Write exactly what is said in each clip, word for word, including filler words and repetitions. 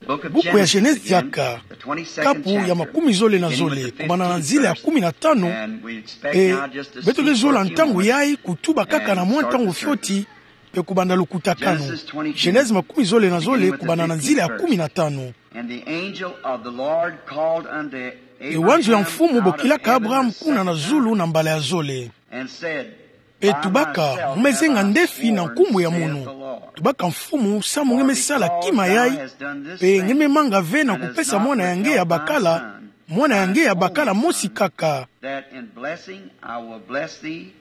Buku ya Genèse diaka, kapu ya makumi zole na zole, kubanda na nzila ya kumi na tano, mpe beto ke zola ntangu yai kutuba kaka na mwa ntangu fioti, mpe kubanda lukutakanu. Genèse makumi zole na zole, kubanda na nzila ya kumi na tano. And the angel of the Lord called unto Abraham. E wanzo ya Mfumu bokilaka Abraham kuna na zulu na mbala ya zole. And said, mpe tubaka, mu me zenga ndefi na nkumbu ya munu. Tubaka Mfumu, samu nge me sala kima yai, mpe nge me manga ve na kupesa mwana ya nge ya bakala, mwana ya nge ya bakala mosi kaka. That in blessing I will bless thee,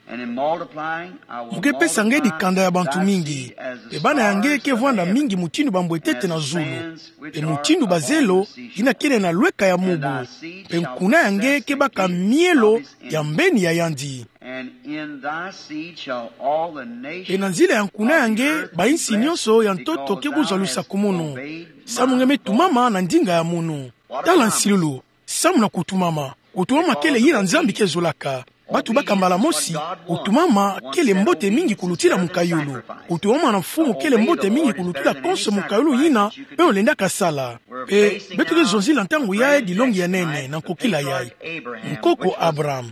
and in multiplying I will multiply thy seed as the stars. Mu ke pesa nge dikanda ya bantu mingi, mpe bana ya nge ke vwanda mingi mutindu bambwetete na zulu, mpe mutindu bazelo yina kele na lweka ya mubu, mpe nkuna ya nge ke baka mielo ya mbeni ya yandi. And in thy seed shall all the nations of the earth be blessed. Mpe na nzila ya nkuna ya nge, bayinsi nyonso ya ntoto ke kuzwa lusakumunu, samu nge me tumama na ndinga ya munu. Tala nsilulu, samu na kutumama. Kutumama kele yina Nzambi ke zolaka. Batu baka mbala mosi, kutumama kele mbote mingi kulutila mukayulu. Kutumama na Mfumu kele mbote mingi kulutila konso mukayulu yina beno lendaka sala. Mpe beto ke zonzila ntangu yai dilongi ya nene na nkokila yai. Nkoko Abraham,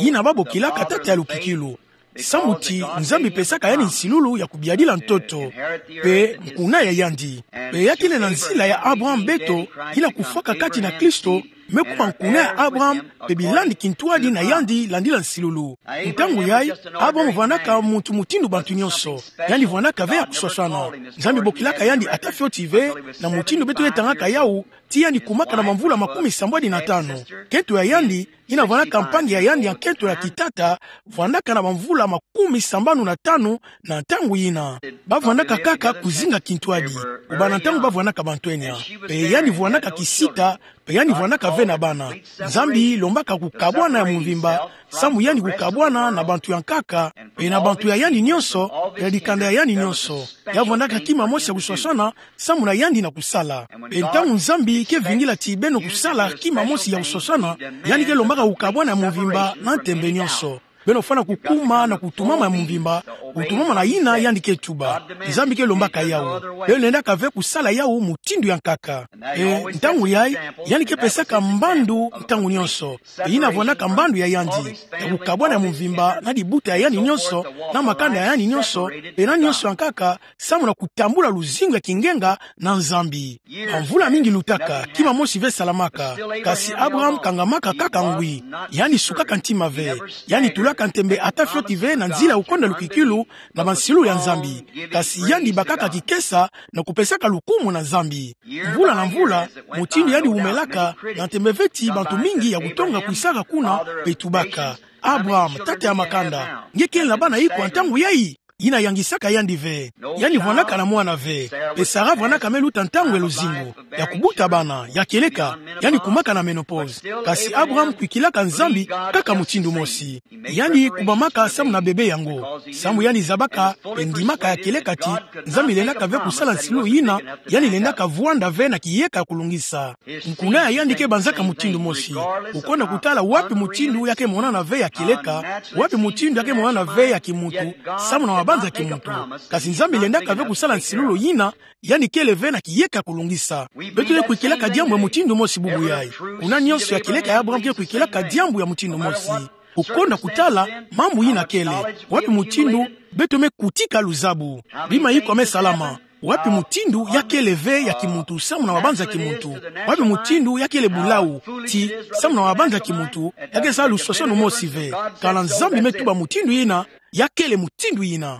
yina babokilaka tata ya lukikilu. Samu ti Nzambi pesaka yandi nsilulu ya kubiadila ntoto, mpe nkuna ya yandi. Mpe ya kele na nzila ya Abraham beto, yina kufwaka kati na Kristo, me kuma nkuna ya Abraham, mpe bilandi kintwadi na yandi landila nsilulu. Ntangu yai, Abraham vwandaka muntu mutindu bantu nyonso. Yandi vwandaka ve ya kuswaswana. Nzambi bokilaka yandi ata fioti ve, na mutindu beto ke tangaka yawu, ti yandi kumaka na bamvula makumi sambwadi na tano. Nkento ya yandi, yina vwandaka mpangi ya yandi ya nkento ya kitata, vwandaka na bamvula makumi sambanu na tano na ntangu yina. Bavwandaka kaka kuzinga kintwadi, kubanda ntangu bavwandaka bantwenya. Mpe yandi vwandaka kisita, mpe yandi vwandaka ve na bana. Nzambi lombaka kukabwana ya mvimba, samu yandi kukabwana na bantu ya nkaka, mpe na bantu ya yandi nyonso, mpe na dikanda ya yandi nyonso. Ya vwandaka kima mosi ya kuswaswana, samu na yandi na kusala. Mpe ntangu Nzambi ke vingila ti beno kusala kima mosi ya kuswaswana, yandi ke lombaka kukabwana ya mvimba na ntembe nyonso. Beno fwana kukuma na kutumama ya mvimba, kutumama na yina yandi ke tuba. Nzambi ke lombaka yawu. Beno lendaka ve kusala yawu mutindu ya nkaka. Mpe ntangu yai, yandi ke pesaka mbandu ntangu nyonso. Mpe yina vwandaka mbandu ya yandi, ya kukabwana ya mvimba na dibuta ya yandi nyonso, na makanda ya yandi nyonso, mpe na nyonso ya nkaka, samu na kutambula luzingu ya kingenga na Nzambi. Bamvula mingi lutaka, kima mosi ve salamaka, kasi Abraham kangamaka kaka ngwi. Yandi sukaka ntima ve, yandi tulaka ntembe ata fioti ve na nzila ya kukonda lukikilu na bansilulu ya Nzambi, kasi yandi bakaka kikesa na kupesaka lukumu na Nzambi. Mvula na mvula, mutindu yandi wumelaka, na ntembe ve ti bantu mingi ya kutonga kwisaka kuna, mpe tubaka: Abraham, tata ya makanda, nge kele na bana iko ha ntangu yai? Yina yangisaka yandi ve. Yandi vwandaka na mwana ve. Mpe Sara vwandaka me luta ntangu ya luzingu, ya kubuta bana, ya kieleka, yandi kumaka na ménopause. Kasi Abraham kwikilaka Nzambi kaka mutindu mosi. Yandi kubamaka samu na bebe yango, samu yandi zabaka mpe ndimaka ya kieleka ti Nzambi lendaka ve kusala nsilulu yina yandi lendaka vwanda ve na kiyeka ya kulungisa. Nkuna ya yandi ke banzaka mutindu mosi, kukonda kutala wapi mutindu ya ke monana ve ya kieleka, wapi mutindu ya ke monana ve ya kimuntu, samu na mabanza ya kimuntu. Kasi Nzambi lendaka ve kusala nsilulu yina yandi kele ve na kiyeka ya kulungisa. Beto ke kwikilaka diambu ya mutindu mosi bubu yai. Kuna nyonso ya kieleka ya Abraham ke kwikilaka diambu ya mutindu mosi. Kukonda kutala mambu yina kele, wapi mutindu beto me kutika luzabu. Bima iko me salama? Wapi mutindu ya kele ve ya kimuntu samu na mabanza ya kimuntu? Wapi mutindu ya kele bulau, ti samu na mabanza ya kimuntu, ya ke sala luswaswanu mosi ve? Kana Nzambi me tuba mutindu yina, ya kele mutindu yina.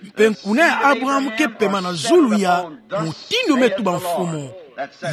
Mpe nkuna ya Abraham ke pema na zulu ya mutindu me tuba Mfumu.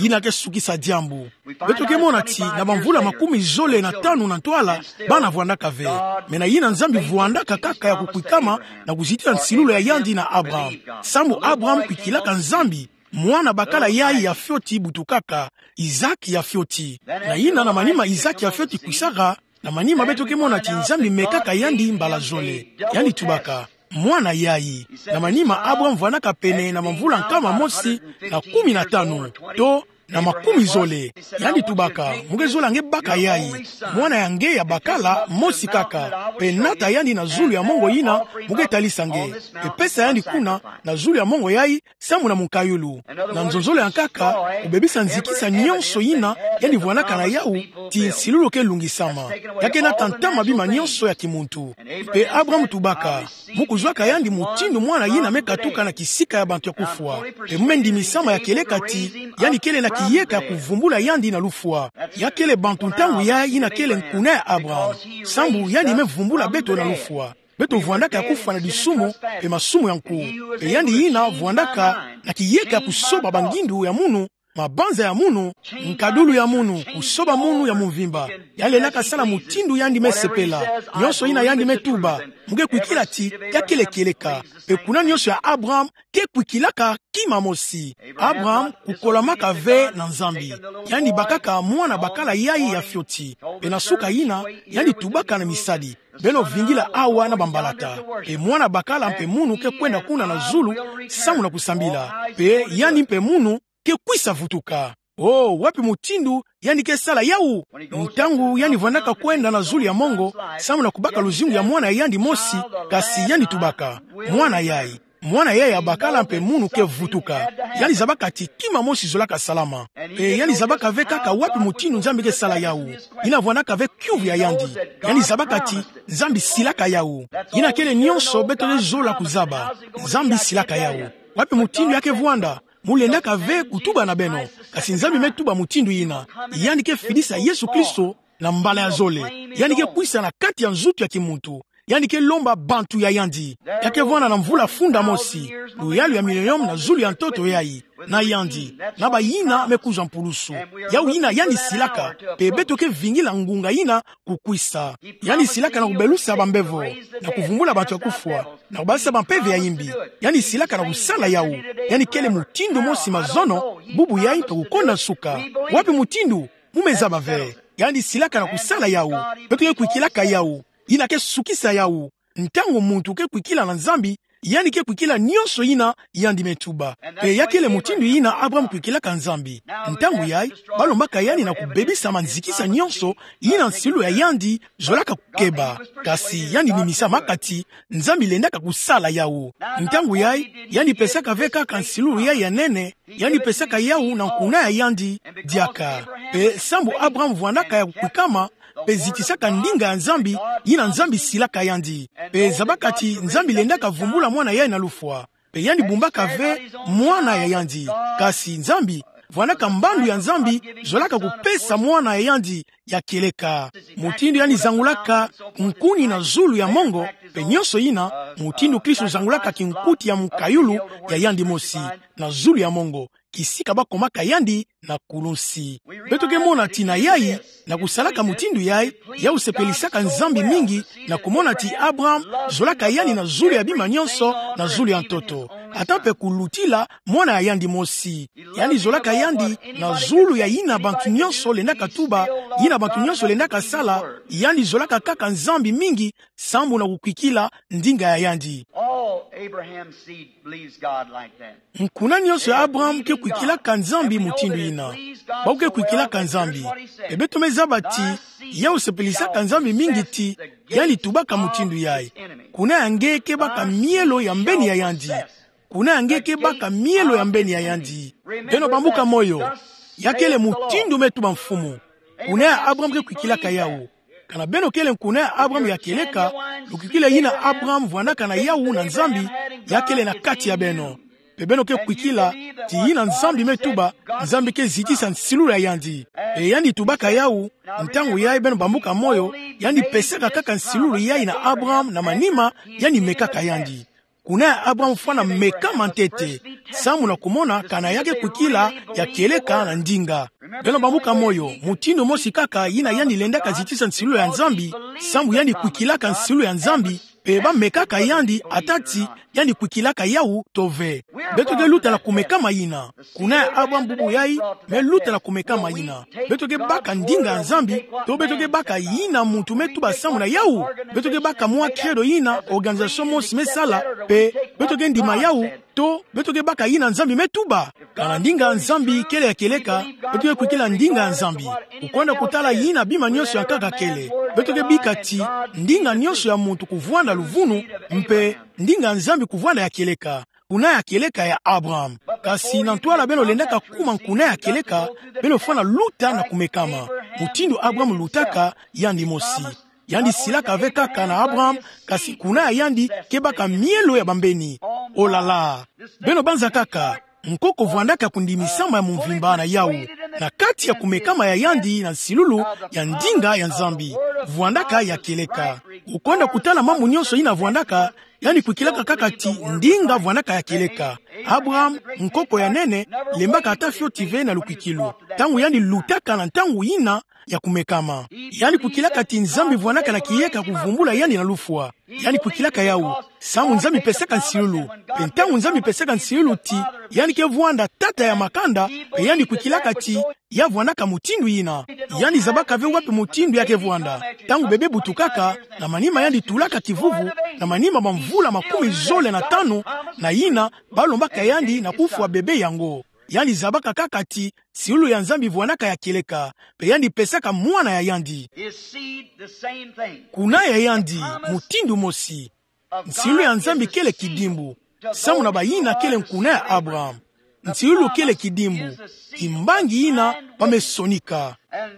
Yina ke sukisa diambu. Beto ke mona ti na bamvula makumi zole na tanu na ntwala, bana vwandaka ve. Mais na yina Nzambi vwandaka kaka ya kukwikama na kuzitila nsilulu ya yandi na Abraham. Samu Abraham kwikilaka Nzambi, mwana bakala yai ya fioti butukaka, Isaac ya fioti. Na yina na manima Isaac ya fioti kwisaka, na manima beto ke mona ti Nzambi mekaka yandi mbala zole. Yandi tubaka: mwana yai. Na manima Abraham vwandaka pene na bamvula nkama mosi na kumi na tanu, to na makumi zole. Yandi tubaka: Mu ke zola nge baka yayi. Mwana ya nge ya bakala mosi kaka. Pe nata yandi na zulu ya mongo yina, mu ke talisa nge. Pe pesa yandi kuna, na zulu ya mongo yayi, samu na munkayulu. Na nzonzolo ya nkaka, kubebisa nzikisa nyonso yina yandi vwandaka na yawu, ti nsilulu ke lungisama. Ya ke nata ntama bima nyonso ya kimuntu. Pe Abraham tubaka: Mu kuzwaka yandi mutindu mwana yina me katuka na kisika ya bantu ya kufwa. Pe mu me ndimisama ya kieleka ti yandi kele na kiyeka ya kuvumbula yandi na lufwa. Ya kele bantu ntangu yayi yina kele nkuna ya Abraham. Sambu yandi me vumbula beto na lufwa. Beto vwandaka ya kufwa na disumu, pe masumu ya nku. Pe yandi yina vwandaka na kiyeka ya kusoba bangindu ya munu, mabanza ya munu, nkadulu ya munu, kusoba munu ya mumvimba. Yandi lendaka sala mutindu yandi me sepela. Nyonso yina yandi me tuba, mu ke kwikila ti ya kele kieleka. Pe kuna nyonso ya Abraham ke kwikilaka kima mosi. Abraham kukolamaka ve na Nzambi. Yandi bakaka mwana bakala yayi ya fioti. Pe na suka yina, yandi tubaka na misadi: Beno vingila awa na bambalata. Pe mwana bakala mpe munu ke kwenda kuna na zulu, samu na kusambila. Pe yandi mpe munu ke kwisa vutuka. Oh, wapi mutindu yandi ke sala yawu? Ntangu yandi vwandaka kwenda na zulu ya mongo, samu na kubaka luzingu ya mwana ya yandi mosi, kasi yandi tubaka: Mwana yayi, mwana yayi ya bakala mpe munu ke vutuka. Yandi zabaka ti kima mosi zolaka salama. Pe yandi zabaka ve kaka wapi mutindu Nzambi ke sala yawu. Yina vwandaka ve kiuvu ya yandi. Yandi zabaka ti Nzambi silaka yawu. Yina kele nyonso beto ke zola kuzaba. Nzambi silaka yawu. Wapi mutindu ya ke vwanda? Mu lendaka ve kutuba na beno. Kasi Nzambi me tuba mutindu yina. Yandi ke fidisa Yesu Kristo na mbala ya zole. Yandi ke kwisa na kati ya nzutu ya kimuntu. Yandi ke lomba bantu ya yandi. Ya ke vwanda na mvula funda mosi, luyalu ya millennium na zulu ya ntoto yayi, na yandi, na bayina me kuzwa mpulusu. Yawu yina yandi silaka, pe beto ke vingila ngunga yina kukwisa. Yandi silaka na kubelusa bambevo, na kuvumbula bantu ya kufwa, na kubasa bampeve ya yimbi. Yandi silaka na kusala yawu. Yandi kele mutindu mosi mazono, bubu yayi mpe kukonda nsuka. Wapi mutindu? Mu me zaba ve. Yandi silaka na kusala yawu. Beto ke kwikilaka yawu. Yina ke sukisa yawu. Ntangu muntu ke kwikila na Nzambi, yandi ke kwikila nyonso yina yandi me tuba. Pe ya kele mutindu yina Abraham kwikilaka Nzambi. Ntangu yayi, balombaka yandi na kubebisa manzikisa nyonso yina nsilulu ya yandi zolaka kukeba. Kasi yandi nimisama kaka ti Nzambi lendaka kusala yawu. Ntangu yayi, yandi pesaka ve kaka nsilulu yayi ya nene, yandi pesaka yawu na nkuna ya yandi diaka. Pe sambu Abraham vwandaka ya kukwikama, pe zitisaka ndinga ya Nzambi, yina Nzambi silaka yandi. Pe zabaka ti Nzambi lendaka vumbula mwana yayi na lufwa. Pe yandi bumbaka ve mwana ya yandi. Kasi Nzambi vwandaka mbandu ya Nzambi zolaka kupesa mwana ya yandi ya kieleka. Mutindu yandi zangulaka nkuni na zulu ya mongo, pe nyonso yina, mutindu Kristo zangulaka kinkuti ya munkayulu ya yandi mosi, na zulu ya mongo, kisika bakomaka yandi na kulunsi. Beto ke mona ti na yayi, na kusalaka mutindu yayi, yawu sepelisaka Nzambi mingi, na kumona ti Abraham zolaka yandi na zulu ya bima nyonso, na zulu ya ntoto. Ata mpe kulutila mwana ya yandi mosi. Yandi zolaka yandi na zulu ya yina bantu nyonso lendaka tuba, yina bantu nyonso lendaka sala, yandi zolaka kaka Nzambi mingi, sambu na kukwikila ndinga ya yandi. All Abraham's seed believes God like that. Nkuna nyonso ya Abraham ke kwikilaka Nzambi mutindu yina. Bawu ke kwikilaka Nzambi. Pe beto me zaba ti, yawu sepelisaka Nzambi mingi ti yandi tubaka mutindu yayi. Kuna ya nge ke baka mielo ya mbeni ya yandi. Kuna ya nge ke baka mielo ya mbeni ya yandi. Beno bambuka moyo. Ya kele mutindu me tuba Mfumu. Kuna ya Abraham ke kwikilaka yawu. Kana beno kele nkuna ya Abraham ya kieleka, lukwikila yina Abraham vwandaka na yawu na Nzambi, ya kele na kati ya beno. Pe beno ke kwikila ti yina Nzambi me tuba, Nzambi ke zitisa nsilulu ya yandi. Pe yandi tubaka yawu, ntangu yayi beno bambuka moyo, yandi pesaka kaka nsilulu yayi na Abraham na manima, yandi mekaka yandi. Kuna ya Abraham fwana mekama ntete, samu na kumona kana ya ke kwikila ya kieleka na ndinga. Beno bambuka moyo, mutindu mosi kaka yina yandi lendaka zitisa nsilulu ya Nzambi, samu yandi kwikilaka nsilulu ya Nzambi, pe bamekaka yandi ata ti yandi kwikilaka yawu to ve. Beto ke luta na kumekama yina. Kuna ya Abraham bubu yayi, me luta na kumekama yina. Beto ke baka ndinga ya Nzambi, to beto ke baka yina muntu me tuba samu na yawu. Beto ke baka mwa credo yina organisation mosi me sala, pe beto ke ndima yawu, to beto ke baka yina Nzambi me tuba. Kana ndinga ya Nzambi kele ya kieleka, beto ke kwikila ndinga ya Nzambi. Kukwenda kutala yina bima nionso ya nkaka kele, beto ke bika ti ndinga nionso ya muntu kuvwanda luvunu, mpe ndinga ya Nzambi kuvwanda ya kieleka. Nkuna ya kieleka ya Abraham. Kasi na ntwala beno lendaka kuma nkuna ya kieleka, beno fwana luta na kumekama. Mutindu Abraham lutaka, yandi mosi. Yandi silaka ve kaka na Abraham, kasi nkuna ya yandi ke baka mielo ya bambeni. Olala. Beno banza kaka, nkoko vwandaka kundimisama ya mvimba na yawu, na kati ya kumekama ya yandi na nsilulu ya ndinga ya Nzambi. Vwandaka ya kieleka. Kukwenda kutala mambu nionso yina vwandaka, yandi kwikilaka kaka ti ndinga vwandaka ya kieleka. Abraham, nkoko ya nene, lembaka ata fioti ve na lukwikilu ntangu yandi lutaka na ntangu yina ya kumekama. Yandi kwikilaka ti Nzambi vwandaka na kiyeka kuvumbula yandi na lufwa. Yandi kwikilaka yawu, samu Nzambi pesaka nsilulu. Mpe ntangu Nzambi pesaka nsilulu ti yandi ke vwanda tata ya makanda, mpe yandi kwikilaka ti ya vwandaka mutindu yina. Yandi zabaka ve wapi mutindu ya ke vwanda. Ntangu bebe butukaka, na manima yandi tulaka kivuvu, na manima bamvula makumi zole na tanu, na yina, balombaka yandi na kufwa bebe yango. Yandi zabaka kaka ti nsilulu ya Nzambi vwandaka ya kieleka, mpe yandi pesaka mwana ya yandi. His seed, the same thing. Nkuna ya yandi, mutindu mosi. Nsilulu ya Nzambi kele kidimbu. Samu na bayina kele nkuna ya Abraham. Nsilulu kele kidimbu. Kimbangi yina ba me sonika. And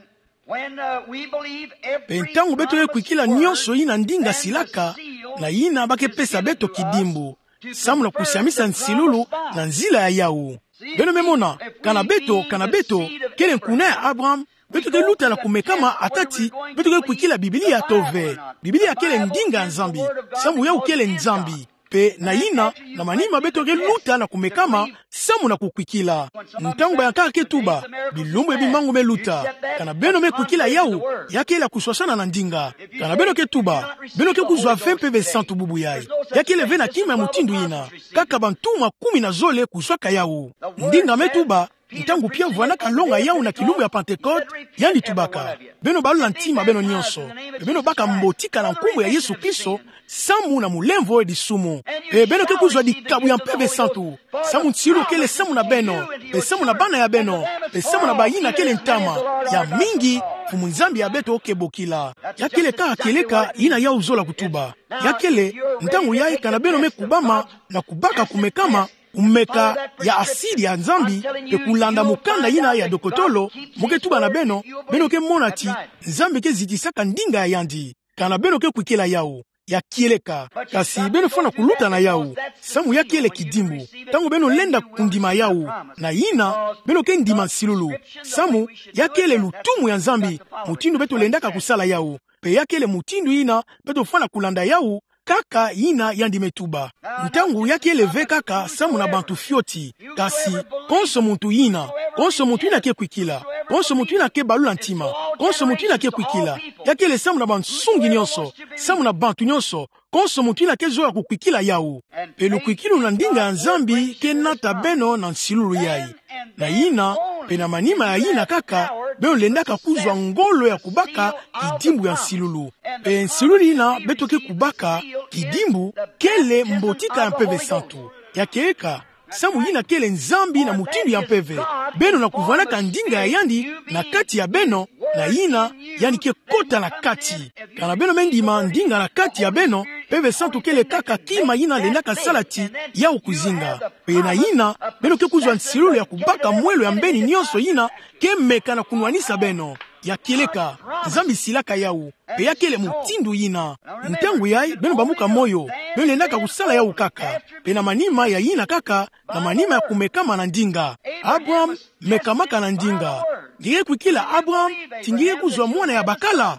when, uh, we believe every Mpe ntangu beto ke kwikila nionso yina ndinga silaka, na yina ba ke pesa beto kidimbu. Samu na kusiamisa nsilulu na nzila ya yawu. Beno me mona, kana beto, kana beto kele nkuna ya Abraham, beto ke luta na kumekama ata ti beto ke kwikila Biblia to ve. Biblia kele ndinga ya Nzambi. Samu yawu kele Nzambi. Mpe na yina, na manima beto ke luta na kumekama, samu na kukwikila. Ntangu bayankaka ke tuba, bilumbu ya bimangu me luta. Kana beno me kwikila yawu, ya kele ya kuswaswana na ndinga. Kana beno ke tuba, beno ke kuzwa ve Mpeve Santu bubu yayi. Ya kele ve na kima ya mutindu yina. Kaka bantu makumi na zole kuzwaka yawu. Ndinga me tuba, ntangu pia vwandaka longa yawu na kilumbu ya Pentekote, yandi tubaka: Beno balula ntima beno nionso, mpe beno baka mbotika na nkumbu ya Yesu Kristo, samu na mulemvo e disumu. Mpe beno ke kuzwa dikabu ya Mpeve Santu, samu nsilulu kele samu na beno, mpe samu na bana ya beno, mpe samu na bayina kele ntama, ya mingi Mfumu Nzambi ya beto ke bokila. Ya kele kaka kieleka yina yawu zola kutuba. Ya kele, ntangu yayi kana beno me kubama na kubaka kumekama, kumeka ya asidi ya Nzambi, mpe kulanda mukanda yina ya dokotolo, mo ke tuba na beno, beno ke mona ti Nzambi ke zitisaka ndinga ya yandi. Kana beno ke kwikila yawu, ya kieleka. Kasi beno fwana kuluta na yawu, samu ya kele kidimbu. Ntangu beno lenda kundima yawu, na yina, beno ke ndima nsilulu. Samu, ya kele lutumu ya Nzambi, mutindu beto lendaka kusala yawu. Mpe ya kele mutindu yina beto fwana kulanda yawu, kaka yina yandi me tuba. Ntangu ya kele ve kaka samu na bantu fioti, kasi konso muntu yina, konso muntu yina ke kwikila, konso muntu yina ke balula ntima, konso muntu yina ke kwikila, ya kele samu na bansungi nionso, samu na bantu nionso, konso muntu yina ke zola kukwikila yawu. Mpe lukwikilu na ndinga ya Nzambi ke nata beno na nsilulu yayi. Na yina, mpe na manima ya yina kaka, beno lendaka kuzwa ngolo ya kubaka kidimbu ya nsilulu. Mpe nsilulu yina beto ke kubaka, kidimbu, kele mbotika ya Mpeve Santu. Ya kieleka, samu yina kele Nzambi na mutindu ya mpeve. Beno na kuvwanaka ndinga ya yandi na kati ya beno, na yina, yandi ke kota na kati. Kana beno me ndima ndinga na kati ya beno, Mpeve Santu kele kaka kima yina lendaka sala ti yawu kuzinga. Mpe na yina, beno ke kuzwa nsilulu ya kubaka mwelo ya mbeni nionso yina ke meka na kunwanisa beno. Ya kieleka, Nzambi silaka yawu, mpe ya kele mutindu yina. Ntangu yayi, beno bambuka moyo, beno lendaka kusala yawu kaka. Mpe na manima ya yina kaka, na manima ya kumekama na ndinga. Abraham mekamaka na ndinga. Nge ke kwikila Abraham ti nge ke kuzwa mwana ya bakala?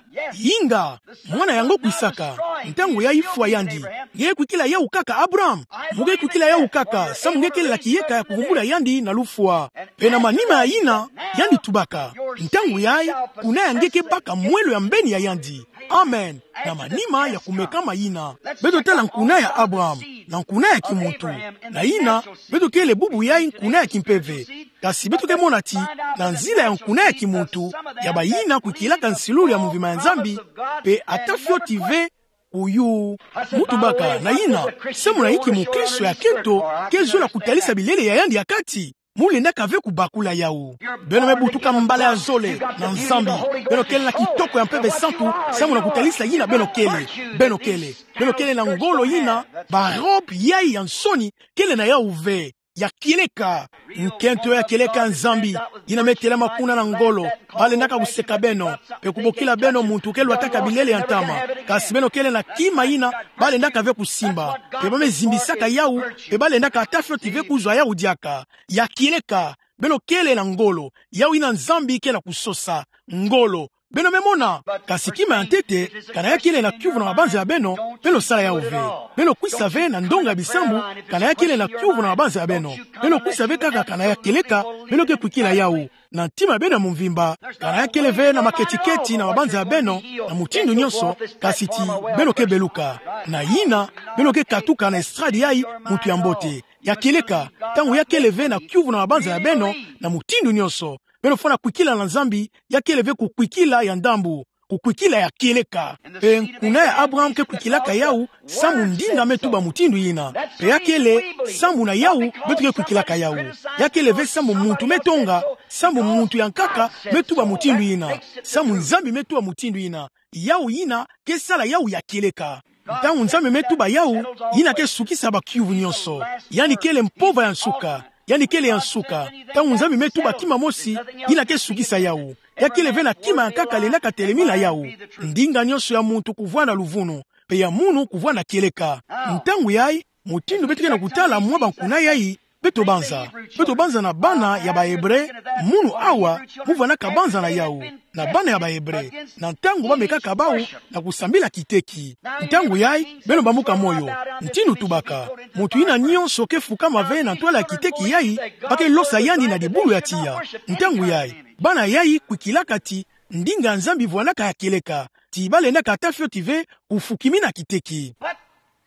Inga, mwana yango kwisaka. Ntangu yayi fwa yandi. Nge ke kwikila yawu kaka Abraham? Mo ke kwikila yawu kaka, samu nge kele na kiyeka ya kuvumbula yandi na lufwa. Mpe na manima ya yina, yandi tubaka. Ntangu yayi, kuna ya nge ke baka mwelo ya mbeni ya yandi. Amen. Na manima ya kumekama yina, beto tala nkuna ya Abraham, na nkuna ya kimuntu. Na yina, beto kele bubu yayi nkuna ya kimpeve. Kasi beto ke mona ti, na nzila ya nkuna ya kimuntu, ya bayina kwikilaka nsilulu ya mvimba ya Nzambi, mpe ata fioti ve kuyu. Mu tubaka na yina, samu na inki mukristo ya kento ke zola kutalisa bilele ya yandi ya kati? Mu lendaka ve kubakula yawu. Beno me butuka mbala ya zole na Nzambi. Beno kele na kitoko ya Mpeve Santu, samu na kutalisa yina beno kele. Beno kele. Beno kele na ngolo yina barobe yayi ya nsoni kele na yawu ve. Ya kieleka. Nkento ya kieleka ya Nzambi, yina me telama kuna na ngolo, balendaka kuseka beno, pe kubokila beno muntu ke lwataka bilele ya ntama. Kasi beno kele na kima yina balendaka ve kusimba, pe ba me zimbisaka yawu, pe balendaka ata fioti ve kuzwa yawu diaka. Ya kieleka. Beno kele na ngolo, yawu yina Nzambi ke na kusosa. Ngolo. Beno me mona, kasi kima ya ntete, kana ya kele na kiuvu na mabanza ya beno, beno sala yawu ve. Beno kwisa ve na ndonga ya bisambu, kana ya kele na kiuvu na mabanza ya beno. Beno kwisa ve kaka kana ya kieleka, beno ke kwikila yawu. Na ntima ya beno ya mvimba, kana ya kele ve na maketiketi na mabanza ya beno, na mutindu nyonso, kasi ti beno ke beluka. Na yina, beno ke katuka na estrade yayi, muntu ya mbote. Ya kieleka, ntangu ya kele ve na kiuvu na mabanza ya beno, na mutindu nyonso. Beno fwana kwikila na Nzambi, ya kele ve kukwikila ya ndambu, kukwikila ya kieleka. Pe nkuna ya Abraham ke kwikilaka yawu, samu ndinga me tuba mutindu yina. Pe ya kele, samu na yawu, beto ke kwikilaka yawu. Ya kele ve samu muntu me tonga, samu muntu ya nkaka me tuba mutindu yina. Samu Nzambi me tuba mutindu yina. Yawu yina ke sala yawu ya kieleka. Ntangu Nzambi me tuba yawu, yina ke sukisa bakiuvu nyonso. Yandi kele mpova ya nsuka. Yandi kele ya nsuka. Ntangu Nzambi me tuba kima mosi, yina ke sukisa yawu. Ya kele ve na kima ya nkaka lendaka telemila yawu. Ndinga nyonso ya muntu kuvwanda luvunu, pe ya munu kuvwanda kieleka. Ntangu yayi, mutindu beto ke na kutala mwa bankuna yayi, beto banza. Beto banza na bana ya ba Ebre, munu awa, mu vwandaka banza na yawu, na bana ya ba Ebre, na ntangu ba mekaka bawu na kusambila kiteki. Ntangu yayi, beno bambuka moyo. Ntindu tubaka, muntu yina nyonso ke fukama ve na ntwala ya kiteki yayi, ba ke losa yandi na dibulu ya tiya. Ntangu yayi, bana yayi kwikilaka ti ndinga ya Nzambi vwandaka ya kieleka, ti ba lendaka ata fioti ve kufukimina kiteki.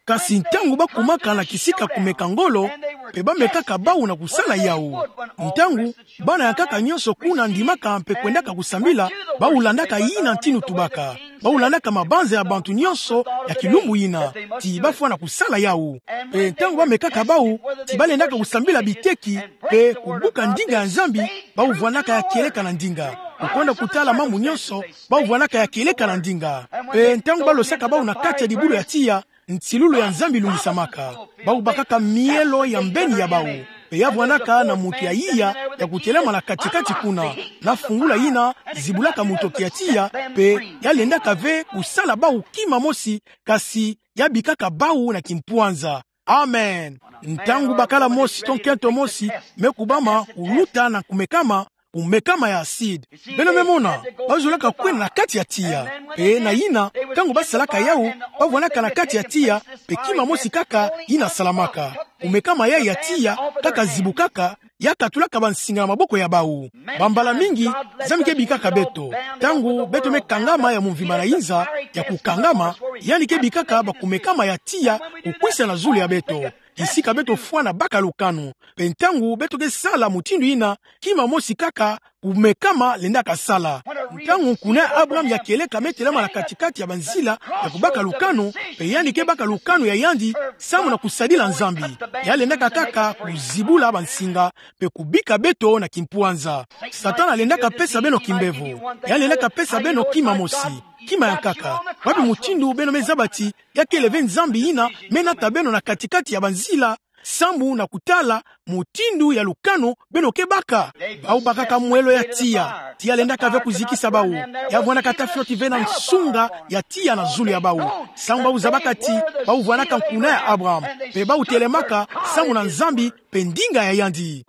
Kasi ntangu ba kumaka na kisika kumeka ngolo, pe ba mekaka bawu na kusala yawu. Ntangu bana ya nkaka nyonso kuna ndimaka mpe kwendaka kusambila, bawu landaka yina ntindu tubaka. Bawu landaka mabanza ya bantu nyonso ya kilumbu yina, ti ba fwana kusala yawu. Pe ntangu ba mekaka bawu, ti ba lendaka kusambila biteki, pe kubuka ndinga ya Nzambi, bawu vwandaka ya kieleka na ndinga. Kukwenda kutala mambu nyonso, bawu vwandaka ya kieleka na ndinga. Pe ntangu ba losaka bawu na kati ya dibulu ya tiya, nsilulu ya Nzambi lungisamaka. Bawu bakaka mielo ya mbeni ya bawu. Pe ya vwandaka na muntu ya iya ya kutelama na kati-kati kuna, na fungula yina zibulaka mutoki ya tiya, pe ya lendaka ve kusala bawu kima mosi, kasi ya bikaka bawu na kimpwanza. Amen. Ntangu bakala mosi to nkento mosi me kubama kuluta na kumekama, kumekama ya acide. Beno me mona, ba zolaka kwenda na kati ya tiya. Pe na yina, ntangu ba salaka yawu, ba vwandaka na kati ya tiya, pe kima mosi kaka yina salamaka. Kumekama yayi ya tiya, kaka zibukaka, ya katulaka bansinga na maboko ya bawu. Bambala mingi, Nzambi ke bikaka beto. Ntangu beto me kangama ya mvimba na inza, ya kukangama, yandi ke bikaka bakumekama ya tiya, kukwisa na zulu ya beto. Kisika beto fwana baka lukanu. Pe ntangu beto ke sala mutindu yina, kima mosi kaka kumekama lendaka sala. Ntangu nkuna ya Abraham ya kieleka me telama na kati-kati ya banzila ya kubaka lukanu, pe yandi ke baka lukanu ya yandi, samu na kusadila Nzambi. Ya lendaka kaka kuzibula bansinga, pe kubika beto na kimpwanza. Satana alendaka pesa beno kimbevo. Ya lendaka pesa beno kima mosi, kima ya nkaka. Wapi mutindu beno me zaba ti ya kele ve Nzambi yina me nata beno na kati-kati ya banzila, samu na kutala mutindu ya lukanu beno ke baka? Bawu bakaka mwelo ya tiya. Tiya lendaka ve kuzikisa bawu. Ya vwandaka ata fioti ve na nsunga ya tiya na zulu ya bawu. Samu bawu zabaka ti bawu vwandaka nkuna ya Abraham. Pe bawu telemaka samu na Nzambi pe ndinga ya yandi.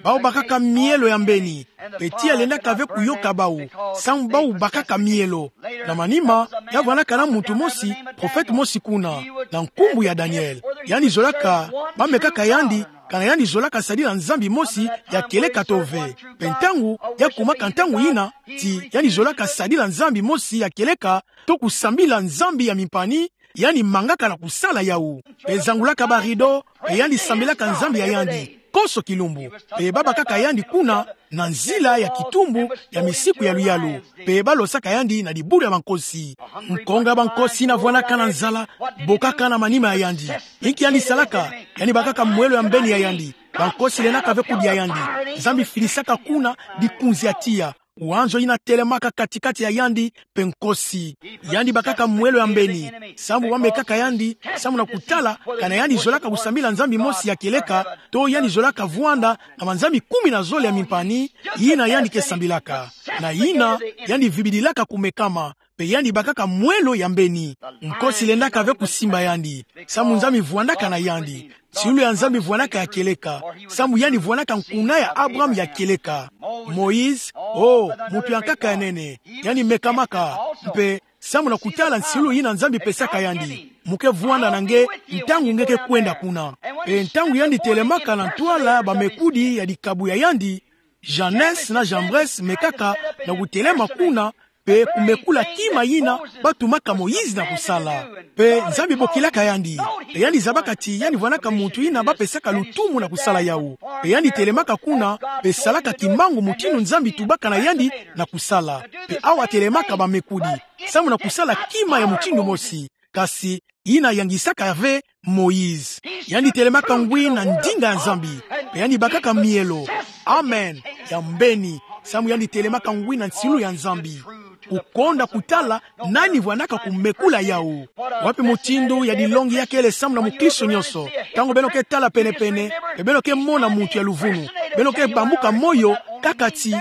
Bawu bakaka mielo ya mbeni. Pe tiya lendaka ve kuyoka bawu, samu bawu bakaka mielo. Na manima, ya vwandaka na muntu mosi, prophète mosi kuna, na nkumbu ya Daniel. Yandi zolaka, ba mekaka yandi, kana yandi zolaka sadila nzambi mosi ya kieleka to ve. Pe ntangu ya kumaka ntangu yina, ti yandi zolaka sadila nzambi mosi ya kieleka, to kusambila nzambi ya mimpani, yandi mangaka na kusala yawu. Pe zangulaka ba rideau, pe yandi sambilaka Nzambi ya yandi konso kilumbu. Pe babakaka yandi kuna na nzila ya kitumbu ya misiku ya luyalu. Pe balosaka yandi na dibulu ya bankosi. Nkonga ya bankosi yina vwandaka na nzala bokaka na manima ya yandi. Inki yandi salaka? Yandi bakaka mwelo ya mbeni ya yandi. Bankosi lendaka ve kudia yandi. Nzambi filisaka kuna dikunzi ya tiya, wanzo yina telemaka kati-kati ya yandi pe nkosi. Yandi bakaka mwelo ya mbeni sambu bamekaka yandi, sambu na kutala kana yandi zolaka kusambila nzambi mosi ya kieleka, to yandi zolaka vwanda na banzambi kumi na zole ya mimpani yina yandi ke sambilaka. Na yina yandi vibidilaka kumekama, pe yandi bakaka mwelo ya mbeni. Nkosi lendaka ve kusimba yandi, sambu Nzambi vwandaka na yandi. Nsilu ya Nzambi vwandaka ya kieleka, sambu yandi vwandaka nkuna ya Abraham ya kieleka. Moïse, oh, muntu ya nkaka ya nene, yandi mekamaka, mpe sambu na kutala nsilu yina Nzambi pesaka yandi: Mu ke vwanda na nge ntangu nge ke kwenda kuna. Pe ntangu yandi telemaka na ntwala, bamekudi ya dikabu ya yandi, Jannes na Jambres, mekaka na kutelema kuna, pe kumekula kima yina batumaka Moïse na kusala. Pe Nzambi bokilaka yandi, pe yandi zabaka ti yandi vwandaka muntu yina bapesaka lutumu na kusala yawu. Pe yandi telemaka kuna, pe salaka kimbangu mutindu Nzambi tubaka na yandi na kusala. Pe awa telemaka bamekudi, sambu na kusala kima ya mutindu mosi, kasi yina yangisaka ve Moïse. Yandi telemaka ngwi na ndinga ya Nzambi, pe yandi bakaka mielo, amen, ya mbeni, sambu yandi telemaka ngwi na nsilu ya Nzambi. Kukonda kutala nani vwandaka kumekula yawu. Wapi mutindu ya dilongi ya kele sambu na mukristo nyonso? Ntangu beno ke tala pene-pene, pe beno ke mona muntu ya luvunu, beno ke bambuka moyo kaka ti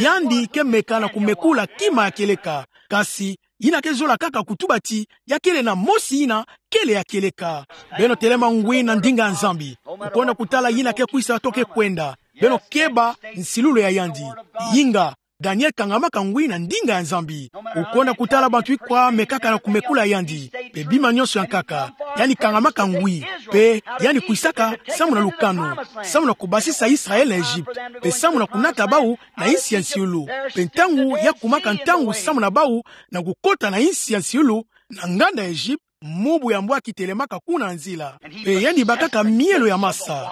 yandi ke meka na kumekula kima ya kieleka. Kasi yina ke zola kaka kutuba ti ya kele na mosi yina kele ya kieleka. Beno telema ngwi na ndinga ya Nzambi. Kukonda kutala yina ke kwisa to ke kwenda, beno keba nsilulu ya yandi. Inga, Daniel kangamaka ngwi na ndinga ya Nzambi. Kukonda kutala bantu ikwa mekaka na kumekula yandi, pe bima nyonso ya nkaka, yandi kangamaka ngwi, pe yandi kwisaka sambu na lukanu, sambu na kubasisa Israël na Egypte, pe sambu na kunata bawu na insi ya nsiulu. Pe ntangu ya kumaka ntangu sambu na bawu na kukota na insi ya nsiulu, na nganda ya Egypte, mubu ya mbwaki telemaka kuna na nzila. Pe yandi bakaka mielo ya masa,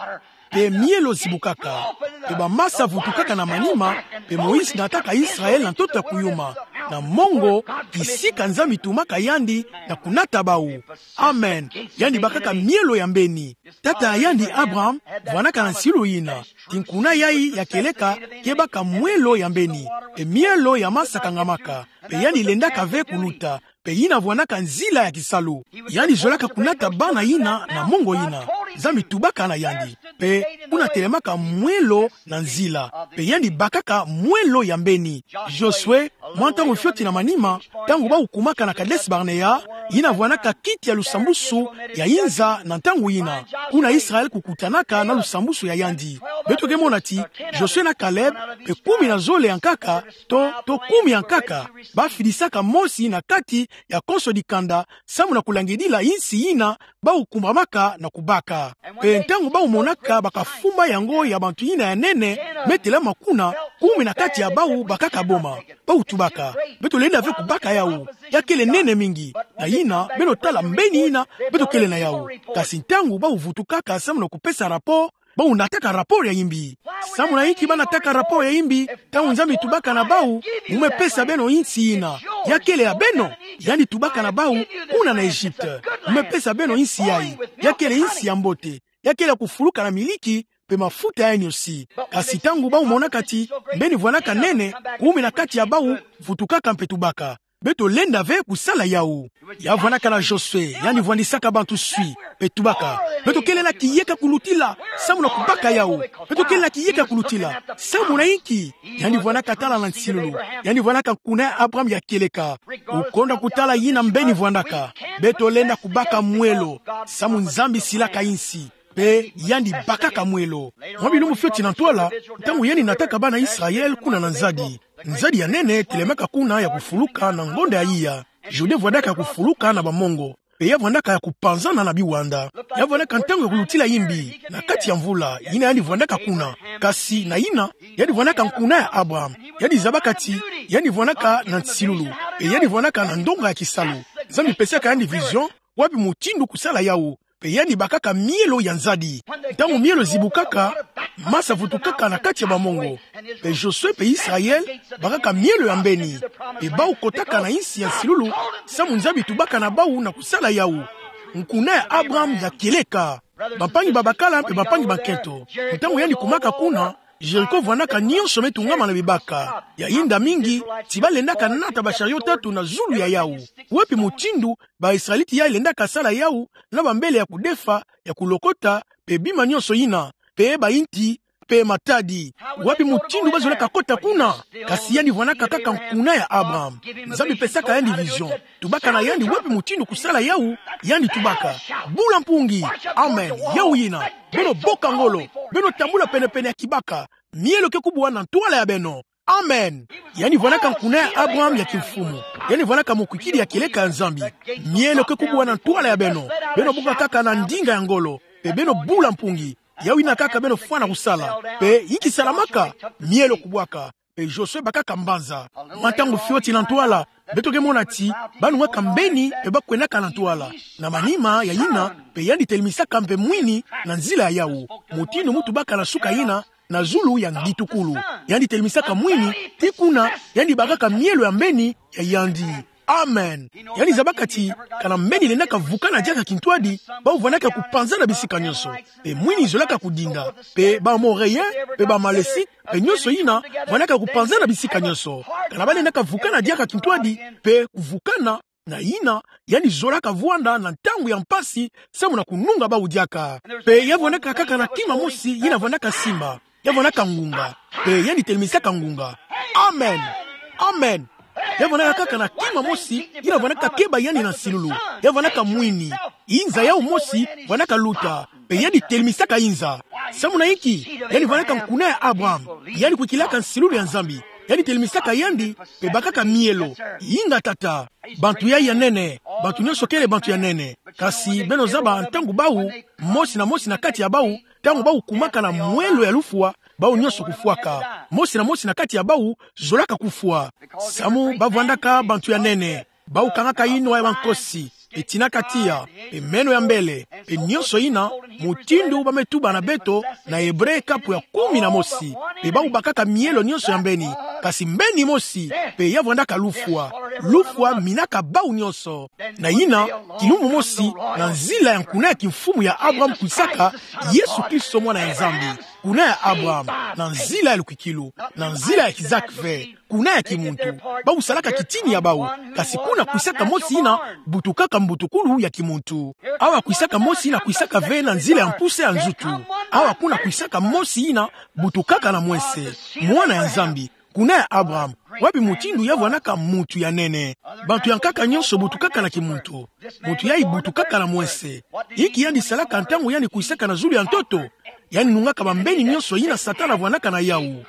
pe mielo zibukaka, pe bamasa vutukaka na manima. Pe Moïse nataka Israël na ntoto ya kuyuma, na mongo, kisika Nzambi tumaka yandi na kunata bawu. Amen. Yandi bakaka mielo ya mbeni. Tata ya yandi Abraham vwandaka na nsilu yina ti nkuna yayi ya kieleka ke baka mwelo ya mbeni, pe mielo ya masa kangamaka, pe yandi lendaka ve kuluta. Pe yina vwandaka nzila ya kisalu. Yandi zolaka kunata bana yina na mongo yina Nzambi tubaka na yandi. Pe kuna telemaka mwelo na nzila, pe yandi bakaka mwelo ya mbeni. Josué, mwa ntangu fioti na manima, ntangu bawu kumaka na Kadès-Barnéa, yina vwandaka kiti ya lusambusu ya inza na ntangu yina, kuna Israël kukutanaka na lusambusu ya yandi. Beto ke mona ti Josué na Caleb, pe kumi na zole ya nkaka, to, to kumi ya nkaka, bafilisaka mosi na kati ya konso dikanda, sambu na kulangidila insi yina bawu kumbamaka na kubaka. Pe ntangu bawu monaka bakafumba yango ya bantu yina ya nene me telama kuna, kumi na kati ya bawu bakaka boma. Bawu tubaka: Beto lenda ve kubaka yawu, ya kele nene mingi. Na yina, beno tala mbeni yina beto kele na yawu. Kasi ntangu bawu vutukaka sambu na kupesa rapport, bawu nataka rapport ya imbi. Sambu na inki banataka rapport ya imbi? Ntangu Nzambi tubaka na bawu: Mu me pesa beno insi yina, ya kele ya beno. Yandi tubaka na bawu: Kuna na Egypte, mu me pesa beno insi yayi, ya kele insi ya mbote, ya kele ya kufuluka na miliki pe mafuta ya niosi. Kasi ntangu bawu monaka ti mbeni vwandaka nene, kumi na kati ya bawu vutukaka mpe tubaka: Beto lenda ve kusala yawu. Ya vwandaka na Josué, yandi vwandisaka bantu swi, pe tubaka: Beto kele na kiyeka kulutila sambu na kubaka yawu. Beto kele na kiyeka kulutila. Sambu na inki? Yandi vwandaka tala na nsilulu. Yandi vwandaka nkuna ya Abraham ya kieleka. Kukonda kutala yina mbeni vwandaka: Beto lenda kubaka mwelo, sambu Nzambi silaka insi. Pe yandi bakaka mwelo. Mwa bilumbu fioti na ntwala, ntangu yandi nataka bana Israël kuna na nzadi, nzadi ya nene telemaka kuna ya kufuluka na ngonda ya iya. Jourdain vwandaka ya kufuluka na bamongo, pe ya vwandaka ya kupanzana na biwanda. Ya vwandaka ntangu ya kulutila imbi na kati ya mvula, yina yandi vwandaka kuna. Kasi na yina, yandi vwandaka nkuna ya Abraham. Yandi zabaka ti yandi vwandaka na nsilulu, pe yandi vwandaka na ndonga ya kisalu. Nzambi pesaka yandi vision, Wapi mutindu kusala yawu? Pe yandi bakaka mielo ya nzadi. Ntangu mielo zibukaka, masa vutukaka na kati ya bamongo. Pe Josue pe Israel bakaka mielo ya mbeni. Pe bawu kotaka na insi ya nsilulu, samu Nzambi tubaka na bawu na kusala yawu. Nkuna ya Abraham ya kieleka. Bampangi babakala mpe bampangi bakento. Ntangu yandi kumaka kuna, Jericho vwandaka nyonso me tungama na bibaka. Ya yinda mingi, ti balendaka nata bashario tatu na zulu ya yawu. Wapi mutindu ba-Israelite yayi lendaka sala yawu na bambele ya kudefa, ya kulokota, pe bima nyonso yina, pe bayinti, pe matadi? Wapi mutindu bazolaka kota kuna? Kasi yandi vwandaka kaka nkuna ya Abraham. Nzambi pesaka yandi vision. Tubaka na yandi wapi mutindu kusala yawu, yandi tubaka: Bula mpungi. Amen. Yawu yina. Beno boka ngolo. Beno tambula penepene ya kibaka. Mielo ke kubwa na ntwala ya beno. Amen. Yandi vwandaka nkuna ya Abraham ya kimfumu. Yandi vwandaka mukwikidi ya kieleka ya Nzambi. Mielo ke kubwa na ntwala ya beno. Beno boka kaka na ndinga ya ngolo. Pe beno bula mpungi. Yawu yina kaka beno fwana kusala. Pe inki salamaka? Mielo kubwaka. Pe Josue bakaka mbanza. Mwa ntangu fioti na ntwala, beto ke mona ti banungaka mbeni pe bakwendaka na ntwala. Na manima ya yina, pe yandi telemesaka mpe mwini na nzila ya yawu. Mutindu mu tubaka na suka yina, na zulu ya ngitukulu, yandi telemesaka mwini, tii kuna yandi bakaka mielo ya mbeni ya yandi. Amen. Yandi zabaka ti kana mbeni lendaka vukana diaka kintwadi, bawu vwandaka kupanzana bisika nyonso. Pe mwini zolaka kudinda. Pe ba-Amorien, pe ba-Amalesite, pe nyonso yina, vwandaka kupanzana bisika nyonso. Kana balendaka vukana diaka kintwadi, pe kuvukana na yina, yandi zolaka vwanda na ntangu ya mpasi, samu na kununga bawu diaka. Pe ya vwandaka kaka na kima mosi yina vwandaka simba. Ya vwandaka ngunga. Pe yandi telemesaka ngunga. Amen. Amen. Ya vwandaka kaka na kima mosi yina vwandaka keba yandi na nsilulu. Ya vwandaka mwini. Inza yawu mosi vwandaka luta. Pe yandi telemesaka inza. Samu na inki? Yandi vwandaka nkuna ya Abraham. Yandi kwikilaka nsilulu ya Nzambi. Yandi telemesaka yandi, pe bakaka mielo. Inga tata. Bantu yayi ya nene. Bantu nyonso kele bantu ya nene. Kasi beno zaba ntangu bawu, mosi na mosi na kati ya bawu, ntangu bawu kumaka na mwelo ya lufwa, bawu nyonso kufwaka. Mosi na mosi na kati ya bawu zolaka kufwa. Samu bavwandaka bantu ya nene. Bawu kangaka yinwa ya bankosi, pe tinaka tiya, pe meno ya mbele, pe nyonso yina, mutindu ba me tuba na beto na Ebre kapu ya kumi na mosi. Pe bawu bakaka mielo nyonso ya mbeni, kasi mbeni mosi, pe ya vwandaka lufwa. Lufwa minaka bawu nyonso. Na yina, kilumbu mosi, na nzila ya nkuna ya kimfumu ya Abraham kwisaka Yesu Kristo, mwana ya Nzambi. Nkuna ya Abraham, na nzila ya lukwikilu, na nzila ya Isaac ve, nkuna ya kimuntu. Bawu salaka kitini ya bawu, kasi kuna kwisaka mosi yina butukaka mbutukulu ya kimuntu. Awa kwisaka mosi yina kwisaka ve na nzila ya mpusa ya nzutu. Awa kuna kwisaka mosi yina butukaka na mwese, mwana ya Nzambi, nkuna ya Abraham. Wapi mutindu ya vwandaka muntu ya nene? Bantu ya nkaka nyonso butukaka na kimuntu. Muntu yayi butukaka na mwese. Inki yandi salaka ntangu yandi kwisaka na zulu ya ntoto? Yandi nungaka bambeni nyonso yina Satana vwandaka na yawu.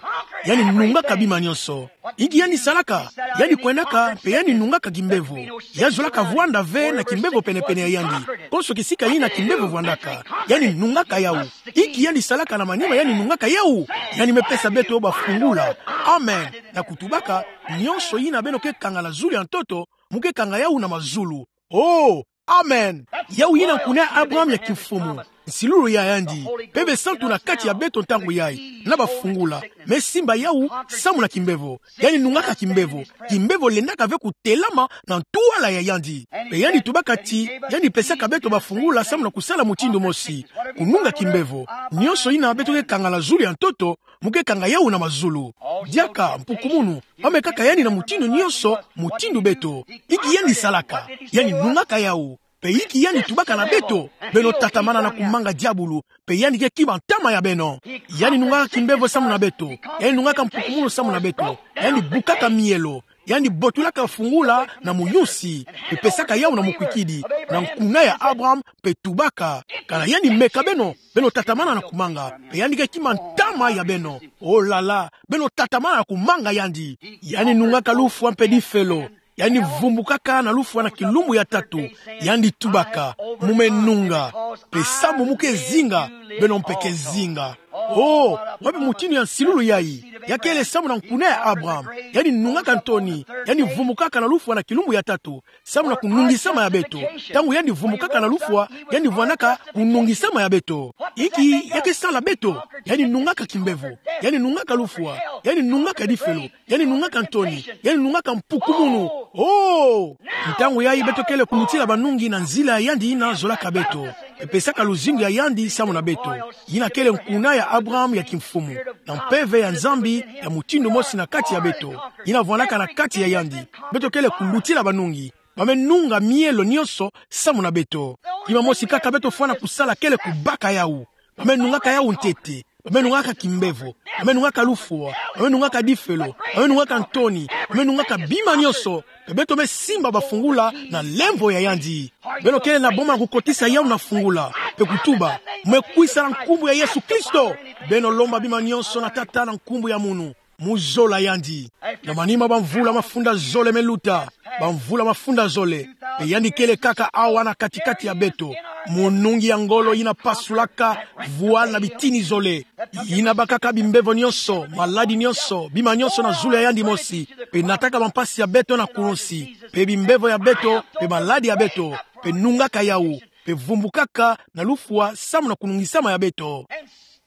Yandi nungaka bima nyonso. Inki yandi salaka? Yandi kwendaka, pe yandi nungaka kimbevo. Ya zolaka vwanda ve na kimbevo penepene ya yandi. Konso kisika yina kimbevo vwandaka, yandi nungaka yawu. Inki yandi salaka na manima yandi nungaka yawu? Yandi me pesa beto bafungula. Amen. Na kutubaka, nyonso yina beno ke kanga na zulu ya ntoto, mu ke kanga yawu na mazulu. Oh, amen. Yawu yina nkuna ya Abraham ya kimfumu. Nsilulu ya yandi. Mpeve santu na kati ya beto ntangu yayi. Na bafungula. Me simba yawu, samu na kimbevo. Yandi nungaka kimbevo. Kimbevo lendaka ve kutelama na ntwala ya yandi. Pe yandi tubaka ti, yandi pesaka beto bafungula samu na kusala mutindu mosi. Kununga kimbevo. Nyonso yina beto ke kanga na zulu ya ntoto, mu ke kanga yawu na mazulu. Diaka, mpukumunu, ba me kaka yandi na mutindu nyonso, mutindu beto. Inki yandi salaka? Yandi nungaka yawu. Pe inki yandi tubaka na beto? Beno tatamana na kumanga diabulu, pe yandi ke kima ntama ya beno. Yandi nungaka kimbevo samu na beto. Yandi nungaka mpukumunu samu na beto. Yandi bukaka mielo. Yandi botulaka fungula na muyusi, pe pesaka yawu na mukwikidi, na nkuna ya Abraham, pe tubaka: Kana yandi meka beno, beno tatamana na kumanga, pe yandi ke kima ntama ya beno. Oh là là, beno tatamana na kumanga yandi. Yandi nungaka lufwa mpe difelo. Yandi vumbukaka na lufwa na kilumbu ya tatu. Yandi tubaka: Mu me nunga. Pe samu mu ke zinga, beno mpe ke zinga. Oh, wapi mutindu ya nsilulu yayi? Ya kele samu na nkuna ya Abraham. Yandi nungaka ntoni, yandi vumbukaka na lufwa na kilumbu ya tatu, samu na kunungisama ya beto. Ntangu yandi vumbukaka na lufwa, yandi vwanaka kunungisama ya beto. Inki ya ke sala beto? Yandi nungaka kimbevo, yandi nungaka lufwa, yandi nungaka difelo, yandi nungaka ntoni, yandi nungaka mpukumunu. Oh! Ntangu yayi beto kele kulutila banungi na nzila ya yandi yina zolaka beto, mpe pesaka luzingu ya yandi samu na beto, yina kele nkuna ya Abraham ya kimfumu, na mpeve ya Nzambi ya mutindu mosi na kati ya beto, yina vwanaka na kati ya yandi. Beto kele kulutila banungi. Ba me nunga mielo nyonso samu na beto. Kima mosi kaka beto fwana kusala kele kubaka yawu. Ba me nungaka yawu ntete. Ba me nungaka kimbevo. Ba me nungaka lufwa. Ba me nungaka difelo. Ba me nungaka ntoni. Ba me nungaka bima nyonso. Mpe beto me simba bafungula na lemvo ya yandi. Beno kele na boma ya kukotisa yawu na fungula, mpe kutuba: Mu me kwisa na nkumbu ya Yesu Kristo. Beno lomba bima nyonso na Tata na nkumbu ya munu, mu zola yandi. Na manima bamvula mafunda zole me luta, bamvula mafunda zole, mpe yandi kele kaka awa na kati-kati ya beto, munungi ya ngolo yina pasulaka voile na bitini zole, yina bakaka bimbevo nyonso, maladi nyonso, bima nyonso na zulu ya yandi mosi, mpe nataka bampasi ya beto na kulunsi, mpe bimbevo ya beto, mpe maladi ya beto, mpe nungaka yawu, mpe vumbukaka na lufwa samu na kunungisama ya beto.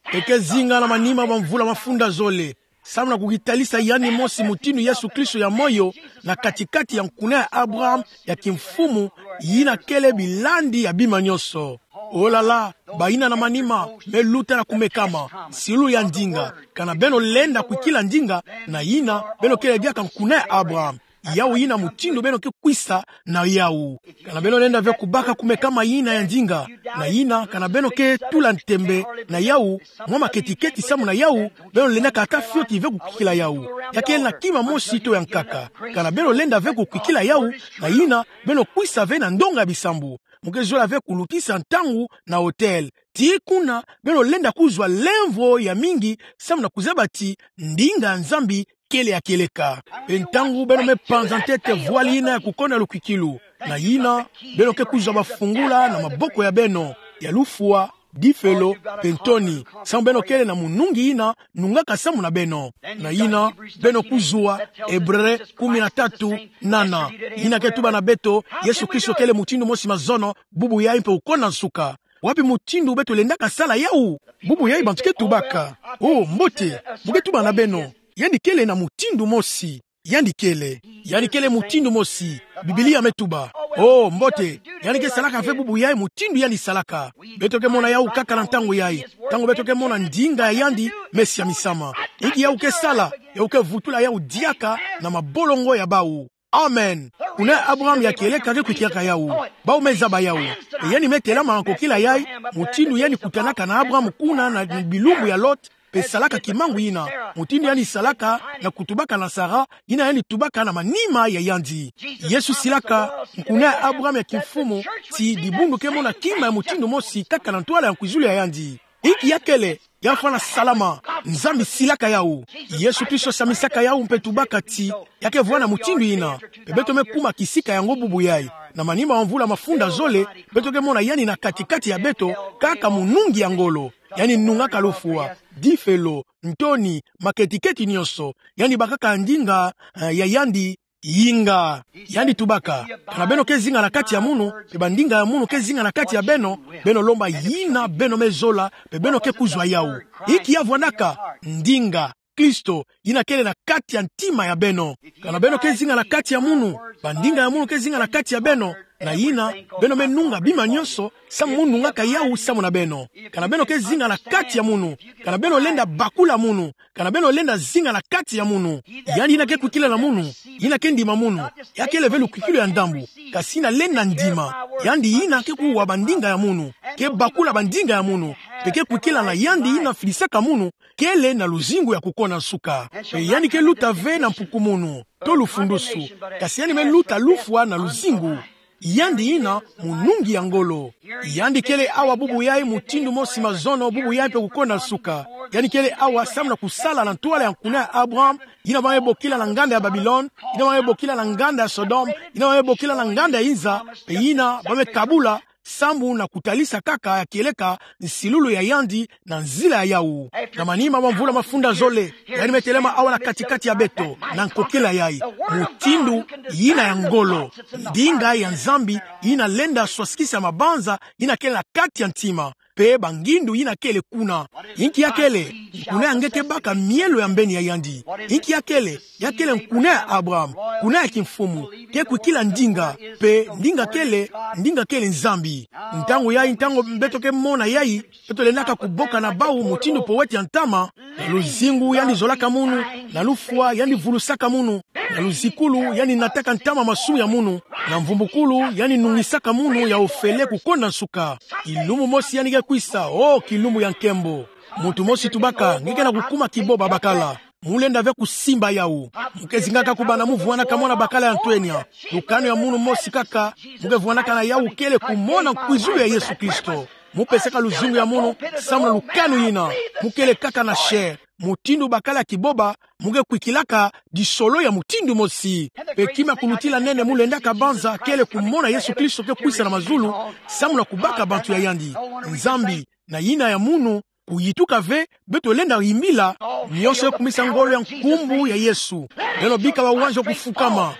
Mpe ke zinga na manima bamvula mafunda zole, samu na kukitalisa yandi mosi mutindu Yesu Kristo ya moyo, na kati-kati ya nkuna ya Abraham ya kimfumu, yina kele bilandi ya bima nyonso. Oh là là, bayina na manima me luta na kumekama, silu ya ndinga. Kana beno lenda kwikila ndinga, na yina beno kele diaka nkuna ya Abraham. Yawu yina mutindu beno ke kwisa na yawu. Kana beno lenda ve kubaka kumekama yina ya ndinga, na yina kana beno ke tula ntembe na yawu, mwa maketi-keti samu na yawu, beno lendaka ata fioti ve kukwikila yawu. Ya kele na kima mosi to ya nkaka. Kana beno lenda ve kukwikila yawu, na yina beno kwisa ve na ndonga ya bisambu. Mu ke zola ve kulutisa ntangu na hotel. Tii kuna, beno lenda kuzwa lemvo ya mingi samu na kuzaba ti ndinga ya Nzambi kele ya kieleka. Mpe ntangu beno me panza ntete voile yina ya kukonda lukwikilu, na yina beno ke kuzwa bafungula na maboko ya beno, ya lufwa, difelo, mpe ntoni, samu beno kele na munungi yina nungaka samu na beno. Na yina beno kuzwa Ebre kumi na tatu nana, yina ke tuba na beto: Yesu Kristo kele mutindu mosi, mazono, bubu yayi mpe kukonda nsuka. Wapi mutindu beto lendaka sala yawu? Bubu yayi bantu ke tubaka: Oh, mbote, mu ke tuba na beno, yandi kele na mutindu mosi. Yandi kele, yandi kele mutindu mosi. Biblia me tuba: Oh, mbote, yandi ke salaka ve bubu yayi mutindu yandi salaka. Beto ke mona yawu kaka na ntangu yayi, ntangu beto ke mona ndinga ya yandi me siamisama. Inki yawu ke sala? Yawu ke vutula yawu diaka na mabolongo ya bawu. Amen. Nkuna ya Abraham ya kieleka ke kwikilaka yawu. Bawu me zaba yawu. Mpe yandi me telama na kokila yayi, mutindu yandi kutanaka na Abraham kuna na bilumbu ya Lot, mpe salaka kimangu yina, mutindu yandi salaka na kutubaka na Sara, yina yandi tubaka na manima ya yandi. Yesu silaka nkuna ya Abraham ya kimfumu ti dibundu ke mona kima ya mutindu mosi kaka na ntwala ya nkwizulu ya yandi. Inki ya kele? Ya fwana salama. Nzambi silaka yawu. Yesu Kristo siamisaka yawu mpe tubaka ti ya ke vwanda mutindu yina. Mpe beto me kuma kisika yango bubu yayi. Na manima bamvula mafunda zole, beto ke mona yandi na kati-kati ya beto, kaka munungi ya ngolo. Yandi nungaka lufwa, difelo, ntoni, maketi-keti nyonso. Yandi bakaka ndinga, eh, ya yandi, yinga. Yandi tubaka: Kana beno ke zinga na kati ya munu, mpe bandinga ya munu ke zinga na kati ya beno, beno lomba yina beno me zola, mpe beno ke kuzwa yawu. Inki ya vwandaka? Ndinga, Kristo, yina kele na kati ya ntima ya beno. Kana beno ke zinga na kati ya munu, bandinga ya munu ke zinga na kati ya beno, na yina beno me nunga bima nyonso samu munu nungaka yawu samu na beno. Kana beno ke zinga na kati ya munu, kana beno lenda bakula munu, kana beno lenda zinga na kati ya munu. Yandi yina ke kwikila na munu, yina ke ndima munu, ya kele ve lukwikilu ya ndambu, kasi yina lenda ndima. Yandi yina ke kuwa bandinga ya munu, ke bakula bandinga ya munu, mpe ke kwikila na yandi yina fidisaka munu, kele na luzingu ya kukonda nsuka. Mpe yandi ke luta ve na mpukumunu to lufundusu, kasi yandi me luta lufwa na luzingu. Yandi yina munungi ya ngolo. Yandi kele awa bubu yayi mutindu mosi, mazono, bubu yayi mpe kukonda nsuka. Yandi kele awa samu na kusala na ntwala ya nkuna ya Abraham, yina ba me bokila na nganda ya Babilone, yina ba me bokila na nganda ya Sodome, yina ba me bokila na nganda ya inza, mpe yina ba me kabula sambu na kutalisa kaka ya kieleka nsilulu ya yandi na nzila ya yawu. Na manima ma mvula mafunda zole, yandi me telama awa na kati-kati ya beto, na nkokila yayi. Mutindu yina ya ngolo, ndinga ya Nzambi yina lenda swasikisa mabanza yina kele na kati ya ntima, mpe bangindu yina kele kuna. Inki ya kele? Nkuna ya nge ke baka mielo ya mbeni ya yandi. Inki ya kele? Ya kele nkuna ya Abraham, nkuna ya kimfumu, ke kwikila ndinga, mpe ndinga kele, ndinga kele Nzambi. Ntangu yayi, ntangu beto ke mona yayi, beto lendaka kuboka na bawu mutindu poweti ya ntama, na luzingu yandi zolaka munu, na lufwa yandi vulusaka munu, na luzikulu yandi nataka ntama masumu ya munu, na mvumbukulu yandi nungisaka munu ya ofele kukonda nsuka. Kilumbu mosi yandi ke kwisa, o kilumbu ya nkembo. Muntu mosi tubaka, nge ke na kukuma kiboba bakala. Mu lenda ve kusimba yawu. Mu ke zingaka kubanda mu vwanaka mwana bakala ya ntwenya. Lukanu ya munu mosi kaka mu ke vwanaka na yawu kele kumona nkwizulu ya Yesu Kristo. Mu pesaka luzingu ya munu samu na lukanu yina. Mu kele kaka na chair. Mutindu bakala ya kiboba, mu ke kwikilaka disolo ya mutindu mosi. Mpe kima ya kulutila nene mu lendaka banza kele kumona Yesu Kristo ke kwisa na mazulu, samu na kubaka bantu ya yandi. Nzambi, na yina ya munu, kuyituka ve, beto lenda yimbila, nionso ke kumisa ngolo ya nkumbu ya Yesu. Beno bika bawanzo kufukama.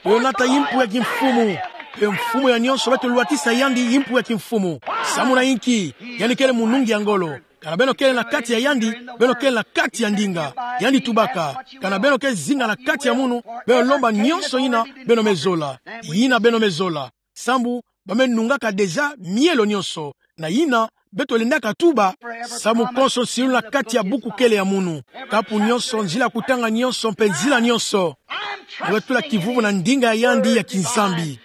Beno nata yimpu ya kimfumu. Mpe mfumu ya nionso beto lwatisa yandi yimpu ya kimfumu. Samu na inki? Yandi kele munungi ya ngolo. Kana beno kele na kati ya yandi, beno kele na kati ya ndinga. Yandi tubaka, kana beno ke zinga na kati ya munu, beno lomba nionso yina beno me zola. Yina beno me zola. Sambu ba me nungaka déjà mielo nionso. Na yina beto lendaka tuba: Samu konso nsilulu na kati ya buku kele ya munu. Kapu nionso, nzila kutanga nionso, mpe nzila nionso, mu ke tula kivuvu na ndinga ya yandi ya kiNzambi.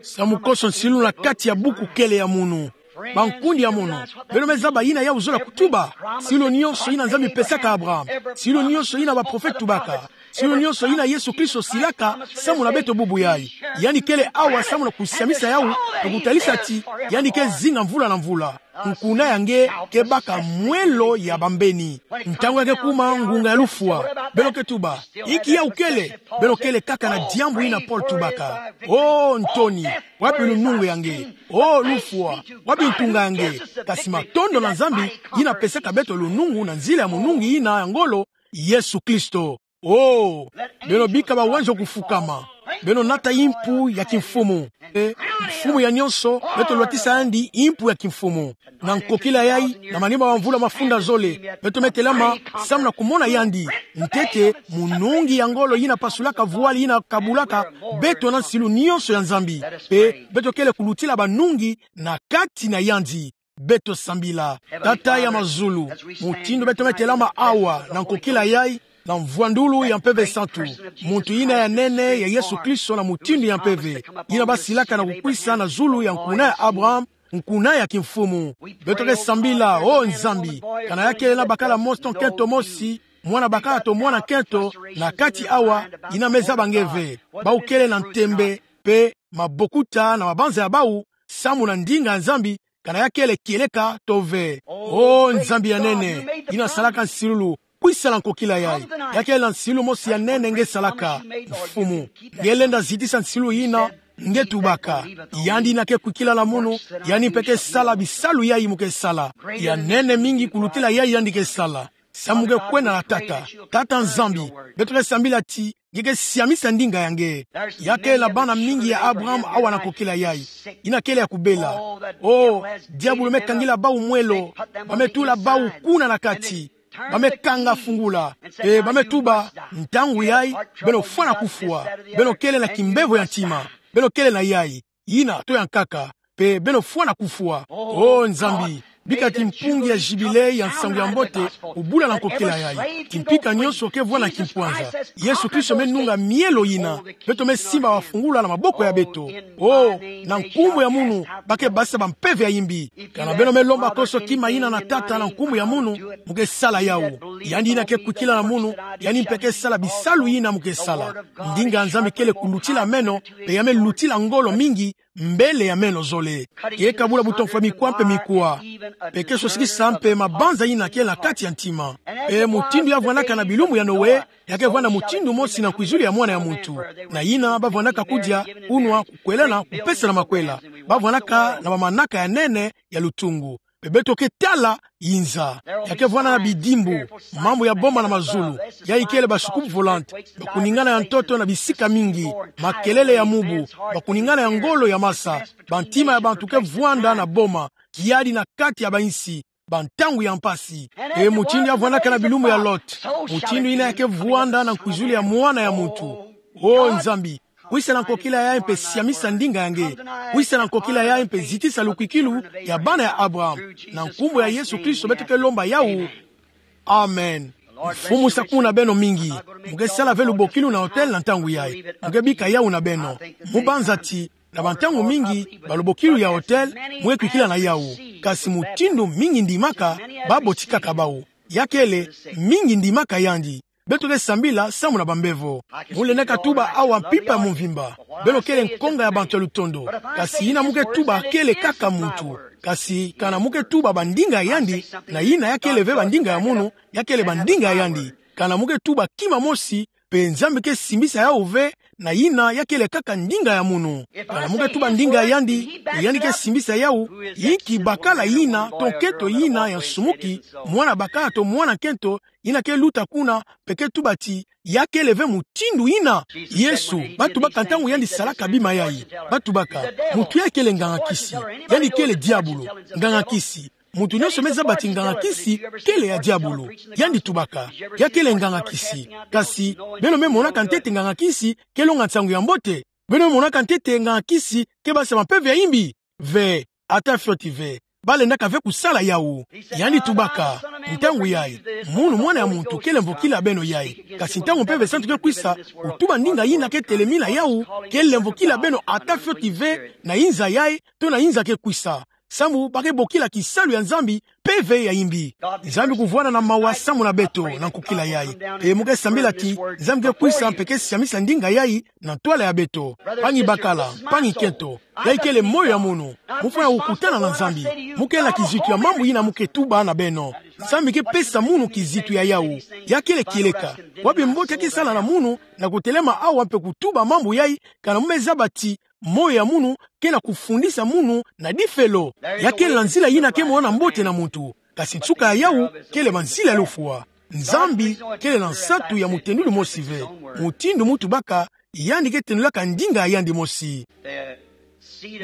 Samu konso nsilulu na kati ya buku kele ya munu. Bankundi ya munu, beno me zaba yina yawu zola kutuba. Nsilulu nionso yina Nzambi pesaka Abraham, nsilulu nionso yina baprofete tubaka, nsilulu nionso yina Yesu Kristo silaka samu na beto bubu yayi. Yandi kele awa samu na kusiamisa yawu, na kutalisa ti yandi ke zinga mvula na mvula. Nkuna ya nge ke baka mwelo ya bambeni. Ntangu ya ke kuma ngunga ya lufwa, beno ke tuba: Inki yawu kele? Beno kele kaka na diambu yina Paul tubaka: O ntoni, wapi lunungu ya nge? O lufwa, wapi ntunga ya nge? Kasi matondo na Nzambi yina pesaka beto lunungu na nzila ya munungi yina ya ngolo, Yesu Kristo. O, beno bika bawanzo kufukama. Beno nata yimpu ya kimfumu. E, mfumu ya nionso, beto lwatisa yandi yimpu ya kimfumu. Na nkokila yayi, na manima ma mvula mafunda zole, beto me telama samu na kumona yandi. Ntete, munungi ya ngolo yina pasulaka voile yina kabulaka beto na nsilulu nionso ya Nzambi. Mpe beto kele kulutila banungi na kati na yandi. Beto sambila. Tata ya mazulu, mutindu beto me telama awa na nkokila yayi, na mvwandulu ya Mpeve Santu, muntu yina ya nene ya Yesu Kristo na mutindu ya mpeve, yina basilaka na kukwisa na zulu ya nkuna ya Abraham, nkuna ya kimfumu. Beto ke sambila, o Nzambi, kana ya kele na bakala mosi to nkento mosi, mwana bakala to mwana nkento, na kati awa, yina me zaba nge ve. Bawu kele na ntembe, mpe mabokuta na mabanza ya bawu, samu na ndinga ya Nzambi, kana ya kele kieleka to ve. O Nzambi ya nene, yina salaka nsilulu, kwisa na nkokila yayi. Ya kele na nsilulu mosi ya nene nge salaka, Mfumu. Nge lenda zitisa nsilulu yina, nge tubaka: Yandi yina ke kwikila na munu, yandi mpe ke sala bisalu yayi mu ke sala. Ya nene mingi kulutila yayi yandi ke sala. Samu nge kwenda na Tata, Tata Nzambi, beto ke sambila ti nge ke siamisa ndinga ya nge. Ya kele na bana mingi ya Abraham awa na nkokila yayi, yina kele ya kubela. O, diabulu me kangila bawu mwelo, ba me tula bawu kuna na kati, ba me kanga fungula, mpe ba me tuba: Ntangu yayi, beno fwana kufwa. Beno kele na kimbevo ya ntima. Beno kele na yayi, yina to ya nkaka, mpe beno fwana kufwa. O Nzambi, bika ti mpungi ya Jubile ya nsangu ya mbote obula na nkokila yayi. Kimpika nionso ke vwanda kimpwanza. Yesu Kristo me nunga mielo yina. Beto me simba bafungula na maboko ya beto. O, na nkumbu ya munu, ba ke basisa bampeve ya yimbi. Kana beno me lomba konso kima yina na Tata na nkumbu ya munu, mu ke sala yawu. Yandi yina ke kwikila na munu, yandi mpe ke sala bisalu yina mu ke sala. Ndinga ya Nzambi kele kulutila meno, mpe ya me lutila ngolo mingi, mbele ya meno zole. Ke kabula butonfwa mikwa mpe mikwa. Mpe ke sosikisa mpe mabanza ina kele na kati ya ntima. Mpe mutindu ya vwandaka na bilumbu ya Noe, ya ke vwanda mutindu mosi na nkwizulu ya mwana ya muntu. Na ina ba vwandaka kudia, kunwa, kukwelana, kupesana makwela. Ba vwandaka na bamanaka ya nene ya lutungu. Mpe beto ke tala yinza. Ya ke vwanda na bidimbu, mambu ya boma na mazulu. Yayi kele ba soucoupe volante. Bakuningana ya ntoto na bisika mingi. Makelele ya mubu. Bakuningana ya ngolo ya masa. Bantima ya bantu ke vwanda na boma. Kiadi na kati ya bansi. Bantangu ya mpasi. E mutindu ya vwandaka na bilumbu ya Lot. Mutindu ina ya ke vwanda na nkwizulu ya mwana ya muntu. O Nzambi, kwisa na nkokila yayi mpe siamisa ndinga ya nge. Kwisa na nkokila yayi mpe zitisa lukwikilu ya bana ya Abraham. Na nkumbu ya Yesu Kristo beto ke lomba yawu. Amen. Mfumu sakumuna beno mingi. Mu ke sala ve lubokilu na hotel na ntangu yayi. Mu ke bika yawu na beno. Mu banza ti, na bantangu mingi, ba lubokilu ya hotel, mu ke kwikila na yawu. Kasi mutindu mingi ndimaka, ba botikaka bawu. Ya kele, mingi ndimaka yandi. Beto ke sambila samu na bambevo. Mu lendaka tuba awa mpimpa ya mvimba. Beno kele nkonga ya bantu ya lutondo. Kasi yina mu ke tuba kele kaka muntu. Kasi kana mu ke tuba bandinga ya yandi, na yina ya kele ve bandinga ya munu, ya kele bandinga ya yandi. Kana mu ke tuba kima mosi, mpe Nzambi ke simbisa yawu ve, na yina ya kele kaka ndinga ya munu. Kana mu ke tuba ndinga ya yandi, mpe yandi ke simbisa yawu, yinki bakala yina, to nkento yina ya nsumuki, mwana bakala to mwana nkento, yina ke luta kuna, mpe ke tuba ti, ya kele ve mutindu yina. Yesu, ba tubaka ntangu yandi salaka bima yayi. Ba tubaka, muntu yayi kele nganga-nkisi. Yandi kele diabulu, nganga-nkisi. Muntu nyonso me zaba ti nganga-nkisi kele ya diabulu. Yandi tubaka, ya kele nganga-nkisi. Kasi, beno me monaka ntete nganga-nkisi ke longa nsangu ya mbote? Beno me monaka ntete nganga-nkisi ke basa mpeve ya yimbi? Ve, ata fioti ve. Ba lendaka ve kusala yawu. Yandi tubaka, ntangu yayi, munu mwana ya muntu kele mvokila beno yayi. Kasi ntangu Mpeve Santu ke kwisa, kutuba ndinga yina ke telemina yawu, kele mvokila beno ata fioti ve, na yinza yayi, to na yinza ke kwisa. Samu ba ke bokila kisalu ya Nzambi mpeve ya yimbi. Nzambi kuvwanda na mawa samu na beto na nkokila yayi. Mpe mu ke sambila ti, Nzambi ke kwisa mpe ke siamisa ndinga yayi na ntwala ya beto. Mpangi bakala, mpangi nkento. Yayi kele moyo ya munu. Mu fwana kukutana na Nzambi. Mu kele na kizitu ya mambu yina mu ke tuba na beno. Nzambi ke pesa munu kizitu ya yawu. Ya kele kieleka. Bwabi mbote ya ke sala na munu, na kutelema awa mpe kutuba mambu yayi, kana mu me zaba ti, moyo ya munu ke na kufundisa munu na difelo. Ya kele na nzila yina ke mona mbote na muntu. Kasi nsuka ya yawu kele banzila ya lufwa. Nzambi kele na nsatu ya mutendulu mosi ve. Mutindu mu tubaka, yandi ke tendulaka ndinga ya yandi mosi.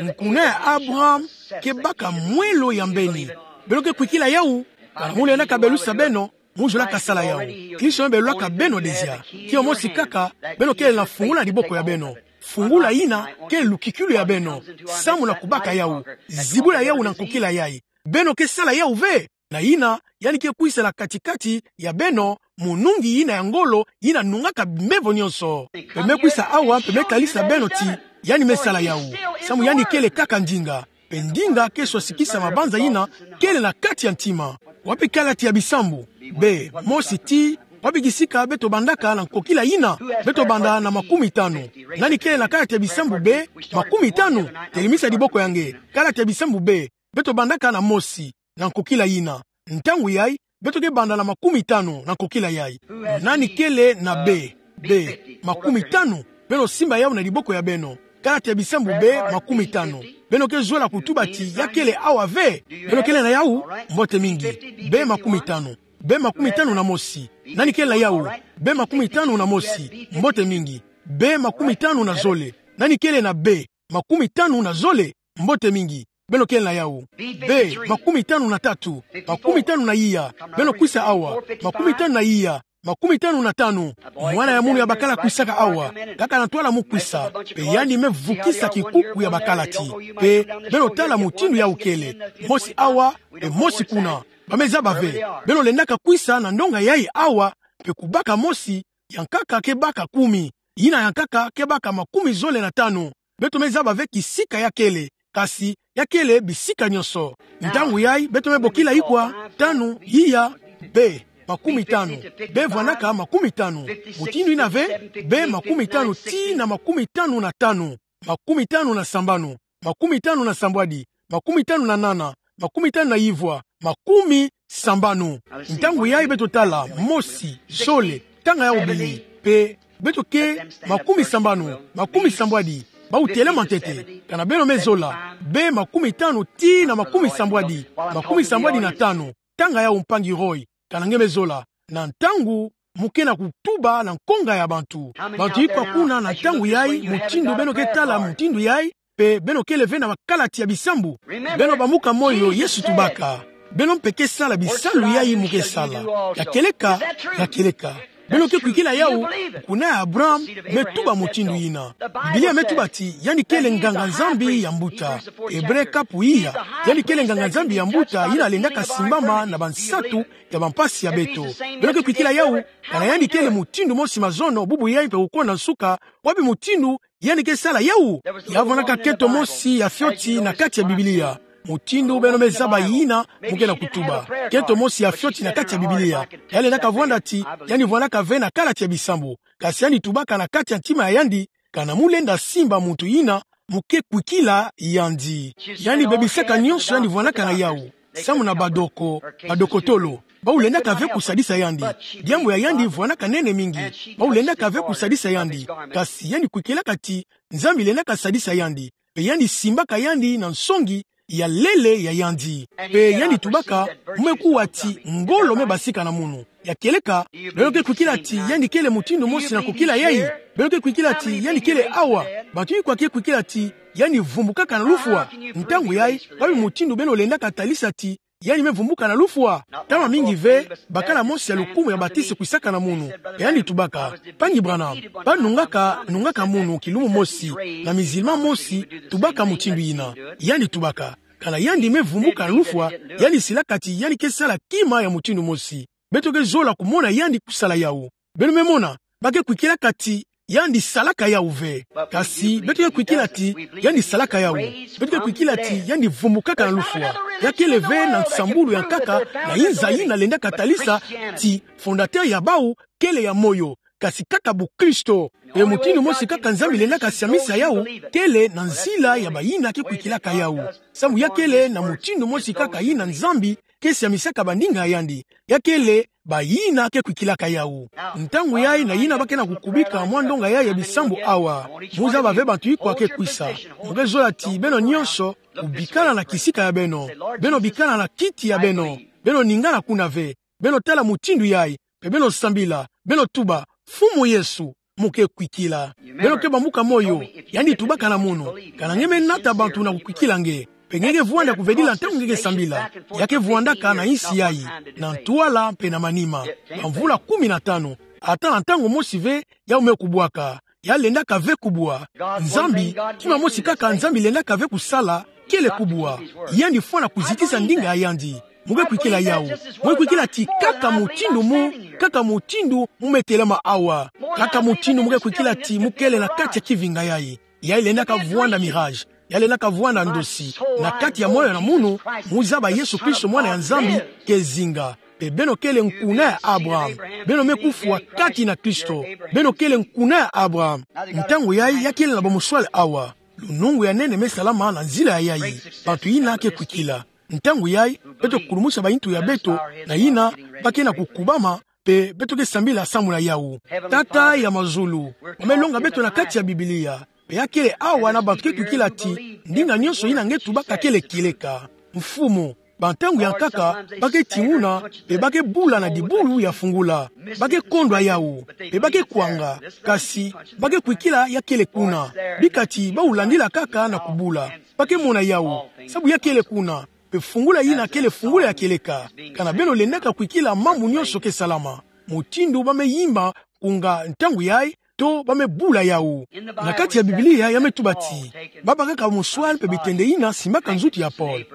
Nkuna ya Abraham ke baka mwelo ya mbeni. Beno ke kwikila yawu, kana mu lendaka belusa beno, mu zolaka sala yawu. Kristo me belulaka beno déjà. Kio mosi kaka, beno kele na fungula na diboko ya beno. Fungula yina kele lukikilu ya beno. Samu na kubaka yawu. Zibula yawu na nkokila yayi. Beno ke sala yawu ve? Na yina, yandi ke kwisa na kati-kati ya beno, munungi yina ya ngolo, yina nungaka mbevo nyonso. Mpe me kwisa awa, mpe me talisa beno ti, yandi me sala yawu. Samu yandi kele kaka ndinga. Mpe ndinga ke swasikisa mabanza yina kele na kati ya ntima. Wapi kalati ya Bisambu? Be, mosi ti, wapi kisika beto bandaka na nkokila yina? Beto banda na makumitanu. Nani kele na kalati ya Bisambu be, makumitanu? Telemisa diboko ya nge. Kalati ya Bisambu be, beto bandaka na mosi, na nkokila yina. Ntangu yayi, beto ke banda na makumitanu na nkokila yayi. Nani kele na be, be, makumitanu? Beno simba yawu na diboko ya beno. Kalati ya Bisambu be, makumitanu. Beno ke zola kutuba ti ya kele awa ve? Beno kele na yawu? Mbote mingi. Be makumitanu. Be makumitanu na mosi. Nani kele na yawu? Be makumitanu na mosi. Mbote mingi. Be makumitanu na zole. Nani kele na be makumitanu na zole? Mbote mingi. Beno kele na yawu. Be makumitanu na tatu. Makumitanu na iya. Beno kwisa awa. Makumitanu na iya. Makumitanu na tanu. Mwana ya munu ya bakala kwisaka awa. Kaka na ntwala mu kwisa. Mpe yandi me vukisa kikuku ya bakalati. Mpe beno tala mutindu yawu kele. Mosi awa, mpe mosi kuna. Ba me zaba ve. Beno lendaka kwisa na ndonga yayi awa, mpe kubaka mosi, ya nkaka ke baka kumi. Yina ya nkaka ke baka makumi zole na tanu. Beto me zaba ve kisika ya kele, kasi ya kele bisika nyonso. Ntangu yayi, beto me bokila ikwa? Tanu, iya, be, makumitanu. Be vwanaka makumitanu. Mutindu yina ve, be makumitanu tii na makumitanu na tanu. Makumitanu na sambanu. makumi tanu na sambwadi, makumi tanu na nana, makumi tanu na ivwa, makumi sambanu. Ntangu yai beto tala, mosi, zole, tanga yao bili, pe beto ke makumi sambanu, makumi sambwadi, bau telama ntete, kana beno me zola, be makumi tanu tii na makumi sambwadi, makumi sambwadi na tanu, tanga yao mpangi Roy, kana nge me zola, na ntangu mu ke na kutuba na nkonga ya bantu. Bantu ikwa kuna na ntangu yai, mutindu beno ke tala mutindu yai, pe beno kele ve na bakalati ya bisambu. Beno bambuka moyo, Yesu tubaka: Beno mpe ke sala bisalu yai mu ke sala. Ya kieleka, ya kieleka. Beno ke kwikila yau, kuna ya Abraham me tuba mutindu yina. Biblia me tuba ti yandi kele nganga-Nzambi ya mbuta. Ebre kapu iya, yandi kele nganga-Nzambi ya mbuta yina lendaka simbama na bansatu ya bampasi ya beto. Beno ke kwikila yau, kana yandi kele mutindu mosi mazono, bubu yai mpe kukwenda nsuka, wapi mutindu yandi ke sala yau? Ya vwandaka nkento mosi ya fioti na kati ya Biblia. Mutindu beno me zaba yina mu ke na kutuba. Nkento mosi ya fioti na kati ya Biblia. Ya lendaka vwanda ti, yandi vwandaka ve na kalati ya bisambu. Kasi yandi tubaka na kati ya ntima ya yandi, kana mu lenda simba muntu yina mu ke kwikila yandi. Yandi bebisaka nyonso yandi vwandaka na yau. Samu na badoko, badokotolo, bau lendaka ve kusadisa yandi. Diambu ya yandi vwandaka nene mingi. Bau lendaka ve kusadisa yandi. Kasi yandi kwikilaka ti Nzambi lendaka sadisa yandi. Pe yandi simbaka yandi na nsongi ya lele ya yandi. Pe yandi tubaka, mu me kuwa ti ngolo me basika na munu. Ya kieleka, beno ke kwikila ti yandi kele mutindu mosi na kukila yai? Beno ke kwikila ti yandi kele awa? Bantu ikwa ke kwikila ti yandi vumbukaka na lufwa. Ntangu yai, wapi mutindu beno lendaka talisa ti yandi me vumbuka na lufwa? Ntama mingi ve, bakala mosi ya lukumu ya batisi kwisaka na munu. Pe yandi tubaka: Mpangi Branham, bâ nungaka, nungaka munu kilumbu mosi, na mizilima mosi tubaka mutindu yina. Yandi tubaka: Kana yandi me vumbuka na lufwa, yandi silaka ti yandi ke sala kima ya mutindu mosi. Beto ke zola kumona yandi kusala yau. Beno me mona, ba ke kwikilaka ti yandi salaka yau ve. Kasi beto ke kwikila ti yandi salaka yau. Beto ke kwikila ti yandi vumbukaka na lufwa. Ya kele ve na nsambulu ya nkaka na inza yina lendaka talisa ti fondateur ya bau kele ya moyo, kasi kaka bukristo. Pe mutindu mosi kaka Nzambi lendaka siamisa yau, kele na nzila ya bayina ke kwikilaka yau. Samu ya kele na mutindu mosi kaka yina Nzambi ke siamisaka bandinga ya yandi. Ya kele bayina ke kwikilaka yau. Ntangu yai na yina ba ke na kukubika mwa ndonga yai ya bisambu awa, mu zaba ve bantu ikwa ke kwisa. Mu ke zola ti beno nyonso kubikana na kisika ya beno. Beno bikana na kiti ya beno. Beno ningana kuna ve. Beno tala mutindu yai, pe beno sambila, beno tuba: Mfumu Yesu, mu ke kwikila. Beno ke bambuka moyo, yandi tubaka na munu. Kana nge me nata bantu na kukwikila nge, pe nge ke vwanda kuvedila ntangu nge ke sambila. Ya ke vwandaka na insi yai, na ntwala mpe na manima, bamvula kumi na tanu. Ata na ntangu mosi ve yau me kubwaka. Ya lendaka ve kubwa. Nzambi, kima mosi kaka Nzambi lendaka ve kusala, kele kubwa. Yandi fwana kuzitisa ndinga ya yandi. Mu ke kwikila yau? Mu ke kwikila ti kaka mutindu mu, kaka mutindu mu me telama awa, kaka mutindu mu ke kwikila ti mu kele na kati ya kivinga yai. Yai lendaka vwanda mirage. Yai lendaka vwanda ndosi. Na kati ya moyo na munu, mu zaba Yesu Kristo, Mwana ya Nzambi, ke zinga. Pe beno kele nkuna ya Abraham. Beno me kufwa kati na Kristo. Beno kele nkuna ya Abraham. Ntangu yai ya kele na bamuswali awa. Lunungu ya nene me salama na nzila ya yai. Bantu yina ke kwikila. Ntangu yai, beto kulumusa bayintu ya beto, na yina ba ke na kukubama, pe beto ke sambila samu na yau. Tata ya mazulu, wa me longa beto na kati ya Biblia. Pe ya kele awa na bantu ke kwikila ti ndinga nyonso yina nge tubaka kele kieleka. Mfumu, bantangu ya nkaka, ba ke tinguna, pe ba ke bula na dibulu ya fungula. Ba ke kondwa yau, pe ba ke kwanga, kasi ba ke kwikila ya kele kuna. Bika ti bau landila kaka na kubula. Ba ke mona yau, sabu ya kele kuna. Pe fungula yina kele fungula ya kieleka. Kana beno lendaka kwikila mambu nyonso ke salama. Mutindu ba me yimba nkunga ntangu yai, to ba me bula yau. Na kati ya Biblia ya me tuba ti, ba bakaka bamuswali mpe bitende yina simbaka nzutu ya Paul.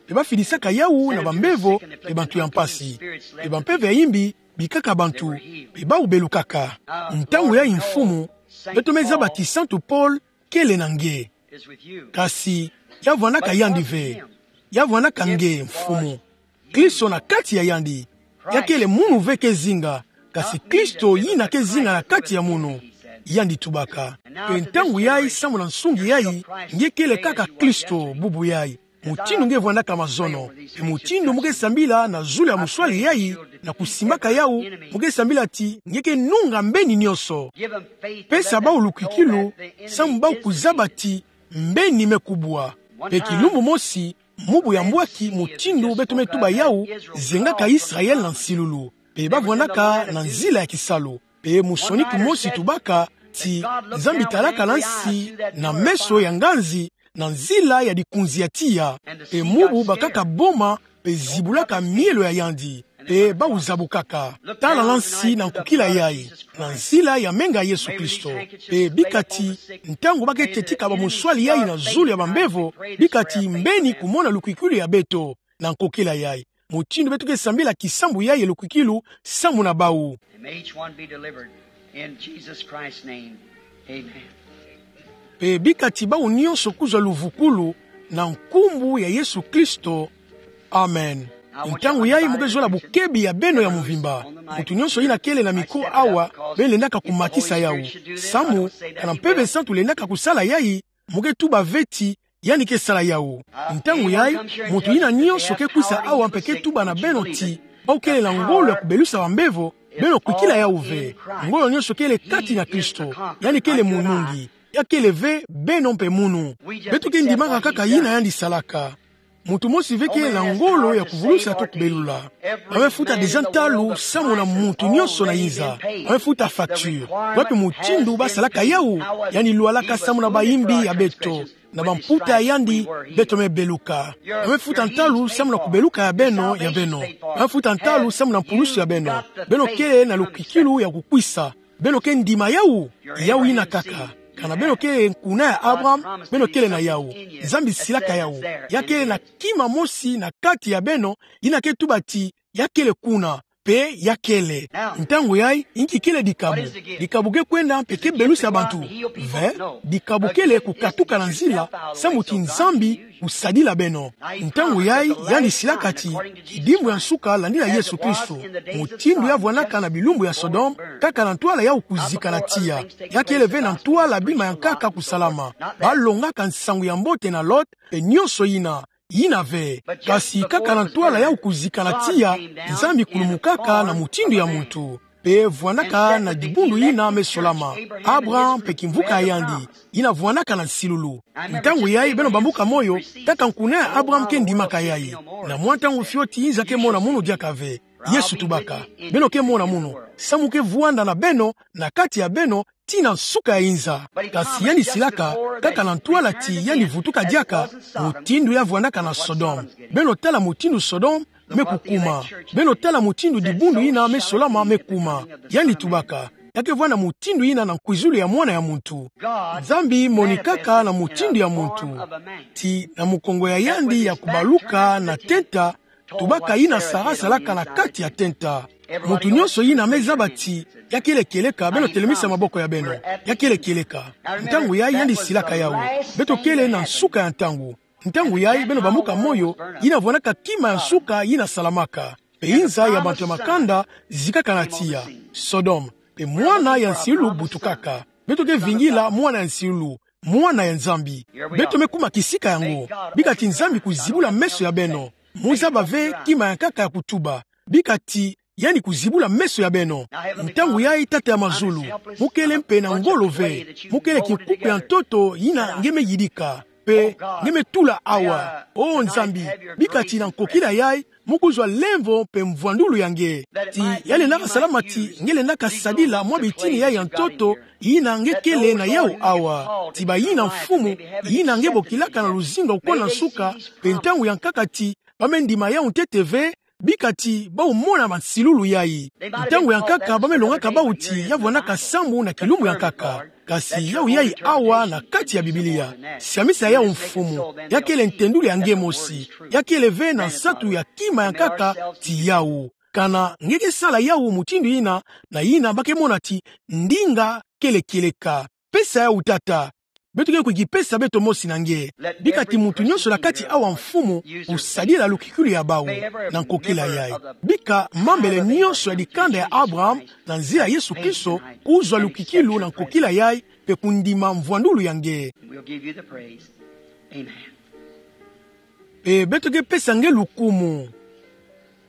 Pe ba fidisaka yau na bambevo mpe bantu ya mpasi. Pe bampeve ya yimbi bikaka bantu, pe bau belukaka. Ntangu yai Mfumu, beto me zaba ti Santu Paul kele na nge. Kasi ya vwandaka yandi ve. Ya vwandaka nge, Mfumu. Kristo na kati ya yandi. Ya kele munu ve ke zinga, kasi Kristo yina ke zinga na kati ya munu. yandi tubaka. Mpe ntangu yai, samu na nsungi yai, nge kele kaka Kristo bubu yai. Mutindu nge vwandaka mazono, mpe mutindu mo ke sambila na zulu ya muswali yai, na kusimbaka yau, mo ke sambila ti nge ke nunga mbeni nionso. Pesa bau lukwikilu, samu bau kuzaba ti mbeni me kubwa. Mpe kilumbu mosi, mubu ya mbwaki, mutindu beto me tuba yau, zengaka Israel na nsilulu. Mpe ba vwandaka na nzila ya kisalu. Mpe musoni kumosi tubaka ti Nzambi talaka na nsi na meso ya nganzi, na nzila ya dikunzi ya tiya. Mpe mubu bakaka boma, mpe zibulaka mielo ya yandi, mpe bau zabukaka. Tala na nsi na nkukila yai, na nzila ya menga Yesu Kristo. Mpe bika ti, ntangu ba ke tetika bamuswali yai na zulu ya bambevo, bika ti mbeni kumona lukwikilu ya beto, na nkukila yai. Mutindu beto ke sambila kisambu yai ya lukwikilu, samu na bau. And may each one be delivered in Jesus Christ's name. Amen. Mpe bika ti bau nionso kuzwa luvukulu, na nkumbu ya Yesu Kristo. Amen. Ntangu yai mo ke zola bukebi ya beno ya mvimba. Mutu nionso yina kele na micro awa, beno lendaka kumatisa yau. Samu, kana Mpeve Santu lendaka kusala yai, mo ke tuba ve ti, yandi ke sala yau. Ntangu yai, mutu yina nionso ke kwisa awa mpe ke tuba na beno ti, bau kele na ngolo ya kubelusa bambevo, beno kwikila yau ve. Ngolo nionso kele kati na Kristo. Yandi kele munungi. Ya kele ve, beno mpe munu. Beto ke ndimaka kaka yina yandi salaka. Mutu mosi ve kele na ngolo ya kuvulusa to kubelula. Ba me futa déjà ntalu samu na mutu nionso na inza. Ba me futa facture. Wapi mutindu ba salaka yau? Yandi lwalaka samu na bayimbi ya beto, na bamputa ya yandi beto me beluka. Ba me futa ntalu samu na kubeluka ya beno, ya beno. Ba me futa ntalu samu na mpulusu ya beno. Beno kele na lukwikilu ya kukwisa. Beno ke ndima yau? Yau yina kaka. Kana beno kele nkuna ya Abraham, beno kele na yau. Nzambi silaka yau. Ya kele na kima mosi na kati ya beno, yina ke tuba ti, ya kele kuna. Mpe ya kele. Ntangu yai, inki kele dikabu? Dikabu ke kwenda mpe ke belusa bantu ve? Dikabu kele kukatuka na nzila, samu ti Nzambi kusadila beno. Ntangu yai, yandi silaka ti, kidimbu ya nsuka landila Yesu Kristo. Mutindu ya vwandaka na bilumbu ya Sodome, kaka na ntwala yau kuzika na tiya. Ya kele ve na ntwala bima ya nkaka kusalama. Ba longaka nsangu ya mbote na Lot, mpe nionso yina, yina ve. Kasi kaka na ntwala yau kuzika na tiya, Nzambi kulumukaka na mutindu ya muntu. Mpe vwandaka na dibundu yina me solama. Abraham mpe kimvuka ya yandi, yina vwandaka na nsilulu. Ntangu yai beno bambuka moyo, kaka nkuna ya Abraham ke ndimaka yai. Na mwa ntangu fioti inza ke mona munu diaka ve. Yesu tubaka, beno ke mona munu, samu ke vwanda na beno, na kati ya beno, tii na nsuka ya inza. Kasi yandi silaka, kaka na ntwala ti yandi vutuka diaka, mutindu ya vwandaka na Sodome. Beno tala mutindu Sodome me kukuma. Beno tala mutindu dibundu yina me solama me kuma. Yandi tubaka, ya ke vwanda mutindu yina na nkwizulu ya mwana ya muntu. Nzambi monikaka na mutindu ya muntu. Tii na mukongo ya yandi ya kubaluka na tenta, tubaka yina Sara salaka na kati ya tenta. Muntu nionso yina me zaba ti ya kele kieleka, beno telemisa maboko ya beno. Ya kele kieleka. Ntangu yai yandi silaka yau. Beto kele na nsuka ya ntangu. Ntangu yai beno bambuka moyo, yina vwandaka kima ya nsuka yina salamaka. Mpe inza ya bantu ya makanda zikaka na tiya. Sodome. Mpe mwana ya nsilulu butukaka. Beto ke vingila mwana ya nsilulu, mwana ya Nzambi. Beto me kuma kisika yango. Bika ti Nzambi kuzibula meso ya beno. Mo zaba ve kima ya nkaka ya kutuba. Bika ti yandi kuzibula meso ya beno. Ntangu yai, Tata ya mazulu, mo kele mpe na ngolo ve. Mo kele kinkuku ya ntoto yina nge me yidika. Mpe nge me tula awa. O Nzambi, bika ti na nkokila yai, mo kuzwa lemvo mpe mvwandulu ya nge. Ti ya lendaka salama ti nge lendaka sadila mwa bitini yai ya ntoto, yina nge kele na yau awa. Ti bayina mfumu, yina nge bokilaka na luzingu ya kukwana nsuka, mpe ntangu ya nkaka ti ba me ndima yau ntete ve, bika ti bau mona bansilulu yai. Ntangu ya nkaka ba me longaka bau ti ya vwandaka sambu na kilumbu ya nkaka. Kasi yau yai awa na kati ya Biblia. Siamisa yau mfumu, ya kele ntendulu ya nge mosi. Ya kele ve na nsatu ya kima ya nkaka ti yau. Kana nge ke sala yau mutindu yina, na yina ba ke mona ti ndinga kele kieleka. Pesa yau Tata. beto ke kwiza kipesa beto mosi na nge. Bika ti muntu nyonso na kati awa, Mfumu, kusadila lukikilu ya bawu na nkokila yayi. Bika mambele nyonso ya dikanda ya Abraham, na nzila ya Yesu Kristo, kuzwa lukikilu na nkokila yayi, mpe kundima mvwandulu ya nge. We'll give you the praise. Amen. Mpe beto ke pesa nge lukumu.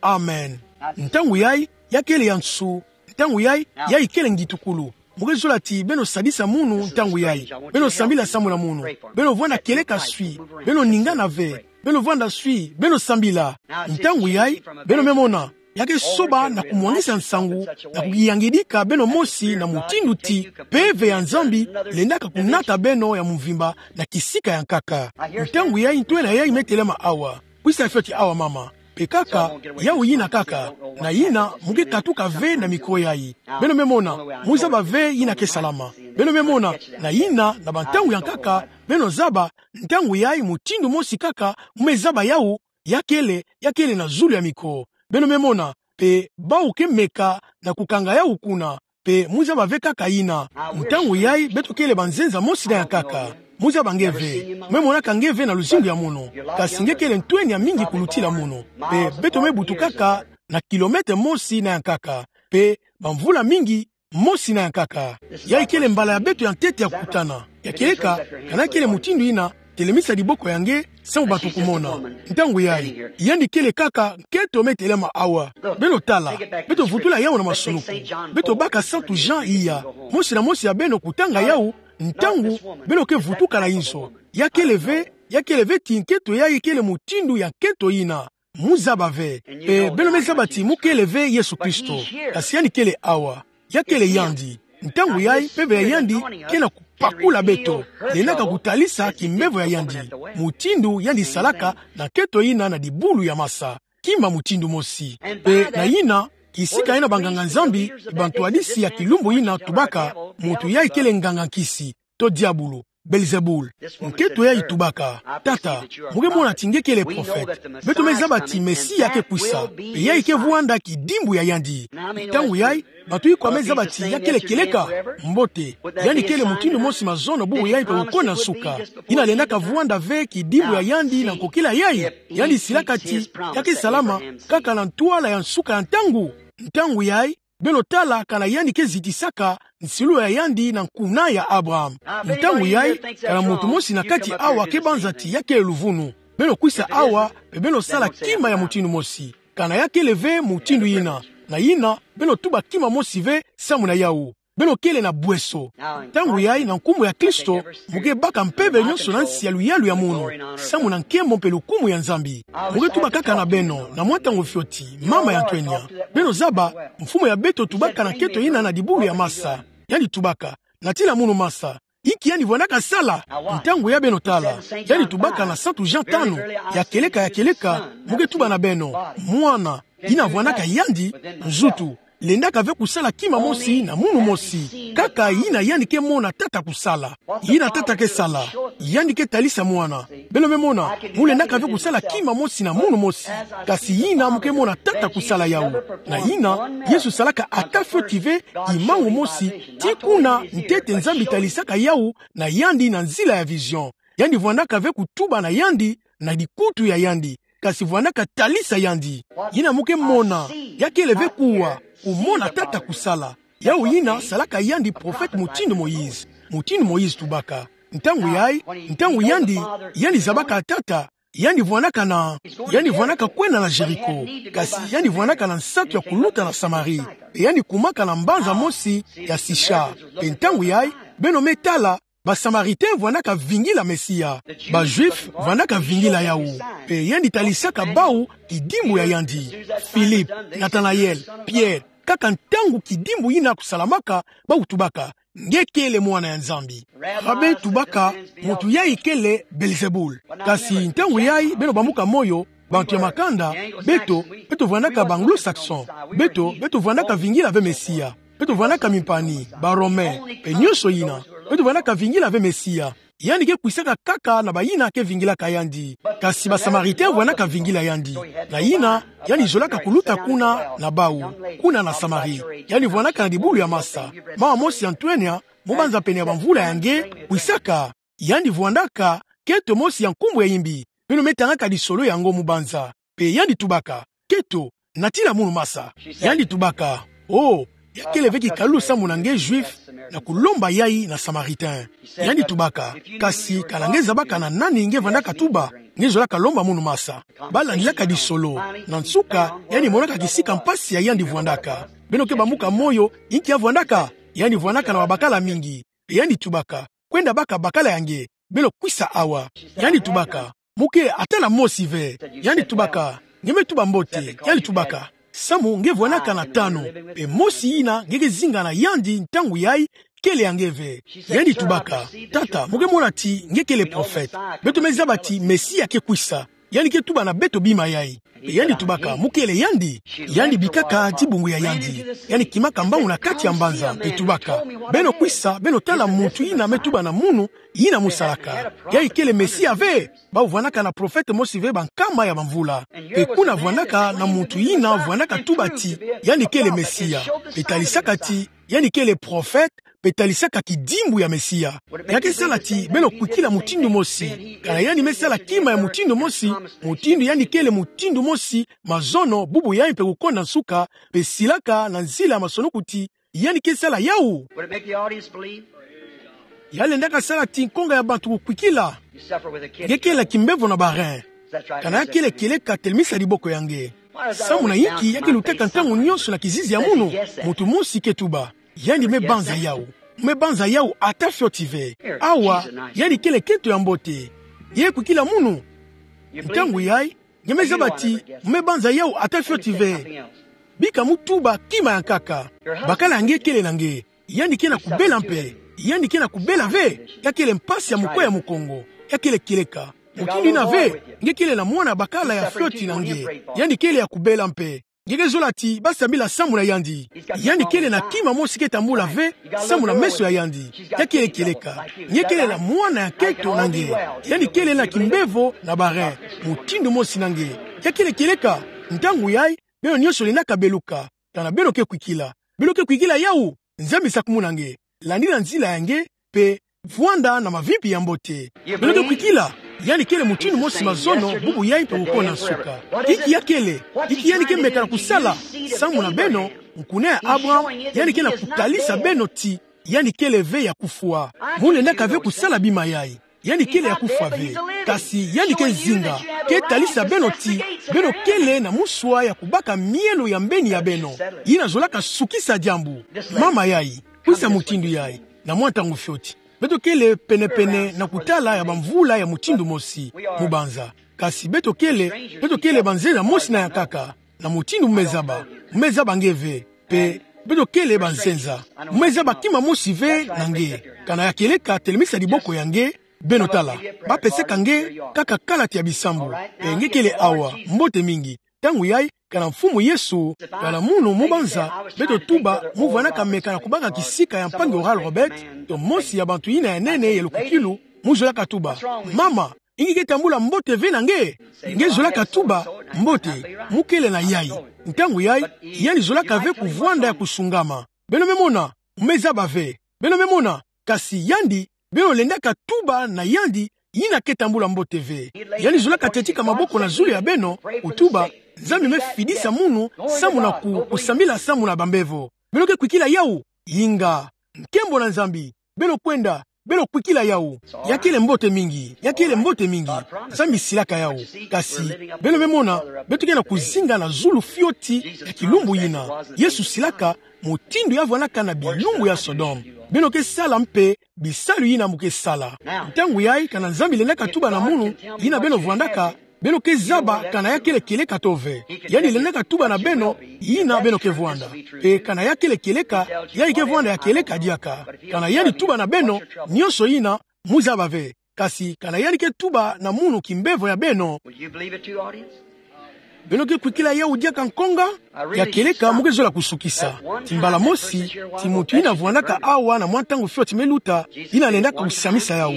Amen. Ntangu yayi, ya kele ya nsu. Ntangu yayi, yayi kele ngitukulu. Mu ke zola ti beno sadisa munu ntangu yayi. Beno sambila samu na munu. Beno vwanda kieleka swi. Beno ningana ve. Beno vwanda swi. Beno sambila. Ntangu yayi, beno me mona, ya ke soba na kumwangisa nsangu, na kukiyangidika beno mosi na mutindu ti mpeve ya Nzambi lendaka kunata beno ya mvimba na kisika ya nkaka. Ntangu yayi ntwenia yayi me telama awa. Kwisa fioti awa, mama. Mpe kaka, yawu yina kaka, na yina mu ke katuka ve na micro yayi. Beno me mona, mu zaba ve yina ke salama. Beno me mona, na yina na bantangu ya nkaka, beno zaba, ntangu yayi mutindu mosi kaka mu me zaba yawu, ya kele, ya kele na zulu ya micro. Beno me mona, mpe bawu ke meka na kukanga yawu kuna. Mpe mu zaba ve kaka yina. Ntangu yayi beto kele banzenza mosi na ya nkaka. Mu zaba nge ve. Mu me monaka nge ve na luzingu ya munu. Kasi nge kele ntwenia mingi kulutila munu. Mpe beto me butukaka na kilomètre mosi na ya nkaka. Mpe bamvula mingi mosi na ya nkaka. Yayi kele mbala ya beto ya ntete ya kukutana. Ya kieleka, kana kele mutindu yina, telemisa diboko ya nge, samu bato kumona. Ntangu yayi, yandi kele kaka nkento me telama awa. Beno tala, beto vutula yawu na masunuku. Beto baka Santu Jean iya. Mosi na mosi ya beno kutanga yawu, ntangu beno ke vutuka na inzo. Ya kele ve, ya kele ve ti nkento yayi kele mutindu ya nkento yina. Mu zaba ve. Mpe beno me zaba ti mu kele ve Yesu Kristo. Kasi yandi kele awa. Ya kele yandi. Ntangu yayi, mpeve ya yandi ke na kupakula beto. Lendaka kutalisa kimbevo ya yandi. Mutindu yandi salaka na nkento yina na dibulu ya masa. Kima mutindu mosi. Mpe na yina, kisika yina banganga-Nzambi, bantwadisi ya kilumbu yina tubaka, muntu yayi kele nganga-nkisi, to diabulu, Belzebul. Nkento yayi tubaka, tata, mu ke mona ti nge kele prophète. Beto me zaba ti Mesia ke kwisa, mpe yayi ke vwanda kidimbu ya yandi. Ntangu yayi, bato ikwa me zaba ti ya kele kieleka, mbote. Yandi kele mutindu mosi mazono bubu yayi mpe kukona nsuka. Yina lendaka vwanda ve kidimbu ya yandi na nkokila yayi. Yandi silaka ti, ya ke salama, kaka na ntwala ya nsuka ya ntangu. Ntangu yayi, beno tala kana yandi ke zitisaka nsilu ya yandi na nkuna ya Abraham. Ntangu yayi, kana muntu mosi na kati awa ke banza ti ya kele luvunu. Beno kwisa awa, mpe beno sala kima ya mutindu mosi. Kana ya kele ve mutindu yina. Na yina, beno tuba kima mosi ve samu na yawu. Beno kele na bweso. Ntangu yayi na nkumbu ya Kristo, mu ke baka mpeve nyonso na nsi ya luyalu ya munu, samu na nkembo mpe lukumu ya Nzambi. Mu ke tuba kaka na beno, na mwa ntangu fioti, mama ya ntwenia. Beno zaba, mfumu ya beto tubaka na nkento yina na dibulu ya masa. Yandi tubaka, natila munu masa. Inki yandi vwandaka sala? Ntangu yayi beno tala. Yandi tubaka na Santu Jean tanu, ya kieleka, ya kieleka, mu ke tuba na beno, mwana, yina vwandaka yandi, nzutu, lendaka ve kusala kima mosi na munu mosi. Kaka yina yandi ke mona tata kusala. Yina tata ke sala, yandi ke talisa mwana. Beno me mona, mu lendaka ve kusala kima mosi na munu mosi. Kasi yina mu ke mona tata kusala yawu. Na yina, Yesu salaka ata fioti ve, imangu mosi, tii kuna ntete Nzambi talisaka yawu na yandi na nzila ya vision. Yandi vwandaka ve kutuba na yandi, na dikutu ya yandi. Kasi vwandaka talisa yandi. Yina mu ke mona, ya kele ve kuwa, kumona tata kusala. Yawu yina salaka yandi prophète mutindu Moïse. Mutindu Moïse tubaka. Ntangu yayi, ntangu yandi, yandi zabaka tata, yandi vwandaka na, yandi vwandaka kwenda na Jéricho. Kasi yandi vwandaka na nsatu ya kuluta na Samarie. Mpe yandi kumaka na mbanza mosi ya Sichar. Mpe ntangu yayi, beno me tala, ba Samaritains vwandaka vingila Mesia. Ba Juifs vwandaka vingila yawu. Mpe yandi talisaka bawu kidimbu ya yandi. Philippe, Nathanaël, Pierre, kaka ntangu kidimbu yina kusalamaka, bawu tubaka, nge kele mwana ya Nzambi. Rabbin tubaka, muntu yayi kele Belzebul. Kasi ntangu yayi beno bambuka moyo, bantu ya makanda, beto, beto vwandaka ba Anglo-Saxon. Beto, beto vwandaka vingila ve Mesia. Beto vwandaka mimpani, ba Romains, mpe nyonso yina. Beto vwandaka vingila ve Mesia. Yandi ke kwisaka kaka na bayina ke vingilaka yandi. Kasi ba Samaritains vwandaka vingila yandi. Na yina, yandi zolaka kuluta kuna na bawu, kuna na Samarie. Yandi vwandaka na dibulu ya masa. Mama mosi ya ntwenia, mu banza pene ya bamvula ya nge, kwisaka. Yandi vwandaka kento mosi ya nkumbu ya imbi. Beno me tangaka lisolo yango, mubanza. Pe yandi tubaka: Kento, natila munu masa. Yandi tubaka: Oh, ya kele ve kikalulu samu na nge Juif na kulomba yai na Samaritain. Yandi tubaka: Kasi kana nge zabaka na nani nge vandaka tuba, nge zolaka lomba munu masa. Ba landilaka lisolo. Na nsuka, yandi monaka kisika mpasi ya yandi vwandaka. Beno ke bambuka moyo, inki ya vwandaka? Yandi vwandaka na babakala mingi. Yandi tubaka: Kwenda baka bakala ya nge, beno kwisa awa. Yandi tubaka: Muke ata na mosi ve. Yandi tubaka: Nge me tuba mbote. Yandi tubaka: Samu nge vwandaka na tanu, pe mosi yina nge ke zinga na yandi ntangu yai kele ya nge ve. Yandi tubaka: Tata, muke mona ti nge kele profete. Beto me zaba ti Mesia ke kwisa. Yandi ke tuba na beto bima yai. Pe yandi tubaka: Mukele yandi? Yandi bikaka dibungu ya yandi. Yandi kimaka mbangu na kati ya mbanza, pe tubaka: Beno kwisa, beno tala muntu yina me tuba na munu, yina musalaka. Yai kele Mesia ve? Bawu vwandaka na profete mosi ve bankama ya bamvula. Pe kuna vwandaka na muntu yina vwandaka tuba ti yandi kele Mesia. Pe talisaka ti yandi kele profete, pe talisaka kidimbu ya Mesia. Ya ke sala ti beno kwikila mutindu mosi. Kana yandi me sala kima ya mutindu mosi, mutindu yandi kele mutindu mosi, mazono, bubu yai mpe kukonda nsuka, pe silaka na nzila ya masoni kuti, yandi ke sala yawu. Would it make the audience believe? Ya lendaka sala ti nkonga ya bantu kukwikila. You suffer with a kid. Nge kele na kimbevo na ba rein. That's right. Kana ya kele kieleka, telemisa diboko ya nge. Samu na inki ya ke lutaka ntangu nyonso na kizizi ya munu? Mutu mosi ke tuba: Yandi me banza yawu. Me banza yawu ata fioti ve. Awa, yandi kele kento ya mbote. Nge kwikila munu? Ntangu yai, nge me zaba ti me banza yawu ata fioti ve. Bika mu tuba kima ya nkaka. Bakala ya nge kele na nge. Yandi ke na kubela mpe. Yandi ke na kubela ve. Ya kele mpasi ya mukwe ya mukongo. Ya kele kieleka. Mutindu yina ve, nge kele na mwana bakala ya fioti na nge. Yandi kele ya kubela mpe. Nge ke zola ti ba sambila samu na yandi. Yandi kele na kima mosi ke tambula ve samu na meso ya yandi. Ya kele kieleka. Nge kele na mwana ya kento na nge. Yandi kele na kimbevo na ba rein mutindu mosi na nge. Ya kele kieleka. Ntangu yai, beno nyonso lendaka beluka. Kana beno ke kwikila? Beno ke kwikila yawu? Nzambi sakumuna nge. Landila nzila ya nge, pe vwanda na mavimpi ya mbote. Beno ke kwikila? Yandi kele mutindu mosi mazono, bubu yai mpe kukonda nsuka. Inki ya kele? Inki yandi ke meka na kusala? Samu na beno, nkuna ya Abraham, yandi ke na kutalisa beno ti yandi kele ve ya kufwa. Mu lendaka ve kusala bima yai. Yandi kele ya kufwa ve. Kasi yandi ke zinga, ke talisa beno ti beno kele na muswa ya kubaka mielo ya mbeni ya beno. Yina zolaka sukisa diambu. Mama yai, kwisa mutindu yai. Na mwa ntangu fioti. Beto kele penepene na kutala ya bamvula ya mutindu mosi, mubanza. Kasi beto kele, beto kele banzenza mosi na ya nkaka. Na mutindu mu me zaba, mu me zaba nge ve. Pe beto kele banzenza. Mu me zaba kima mosi ve na nge. Kana ya kieleka, telemisa diboko ya nge, beno tala. Ba pesaka nge kaka kalati ya bisambu. Pe nge kele awa, mbote mingi. Ntangu yai, kana Mfumu Yesu, kana munu mu banza, beto tuba mu vwandaka meka na kubaka kisika ya mpangi Oral Roberts, to mosi ya bantu yina ya nene ya lukukilu, mu zolaka tuba: Mama, inki ke tambula mbote ve na nge? Nge zolaka tuba: Mbote, mu kele na yai. Ntangu yai, yandi zolaka ve kuvwanda ya kusungama. Beno me mona? Mu me zaba ve. Beno me mona? Kasi yandi, beno lendaka tuba na yandi yina ke tambula mbote ve. Yandi zolaka tetika maboko na zulu ya beno, kutuba: Nzambi me fidisa munu samu na ku-, kusambila samu na bambevo. Beno ke kwikila yawu? Inga. Nkembo na Nzambi. Beno kwenda, beno kwikila yawu. Ya kele mbote mingi, ya kele mbote mingi. Nzambi silaka yawu. Kasi, beno me mona, beto ke na kuzinga na zulu fioti ya kilumbu yina. Yesu silaka, mutindu ya vwandaka na bilumbu ya Sodome. Beno ke sala mpe bisalu yina mu ke sala. Ntangu yai, kana Nzambi lendaka tuba na munu yina beno vwandaka, beno ke zaba kana ya kele kieleka to ve. Yandi lendaka tuba na beno yina beno ke vwanda. Pe kana ya kele kieleka, yai ke vwanda ya kieleka diaka. Kana yandi tuba na beno nyonso yina, mu zaba ve. Kasi kana yandi ke tuba na munu kimbevo ya beno, Will you believe it too, audience? Beno ke kwikila yawu diaka nkonga? Ya kieleka, mu ke zola kusukisa. Ti mbala mosi, ti muntu yina vwandaka awa na mwa ntangu fioti me luta, yina lendaka kusamisa yawu.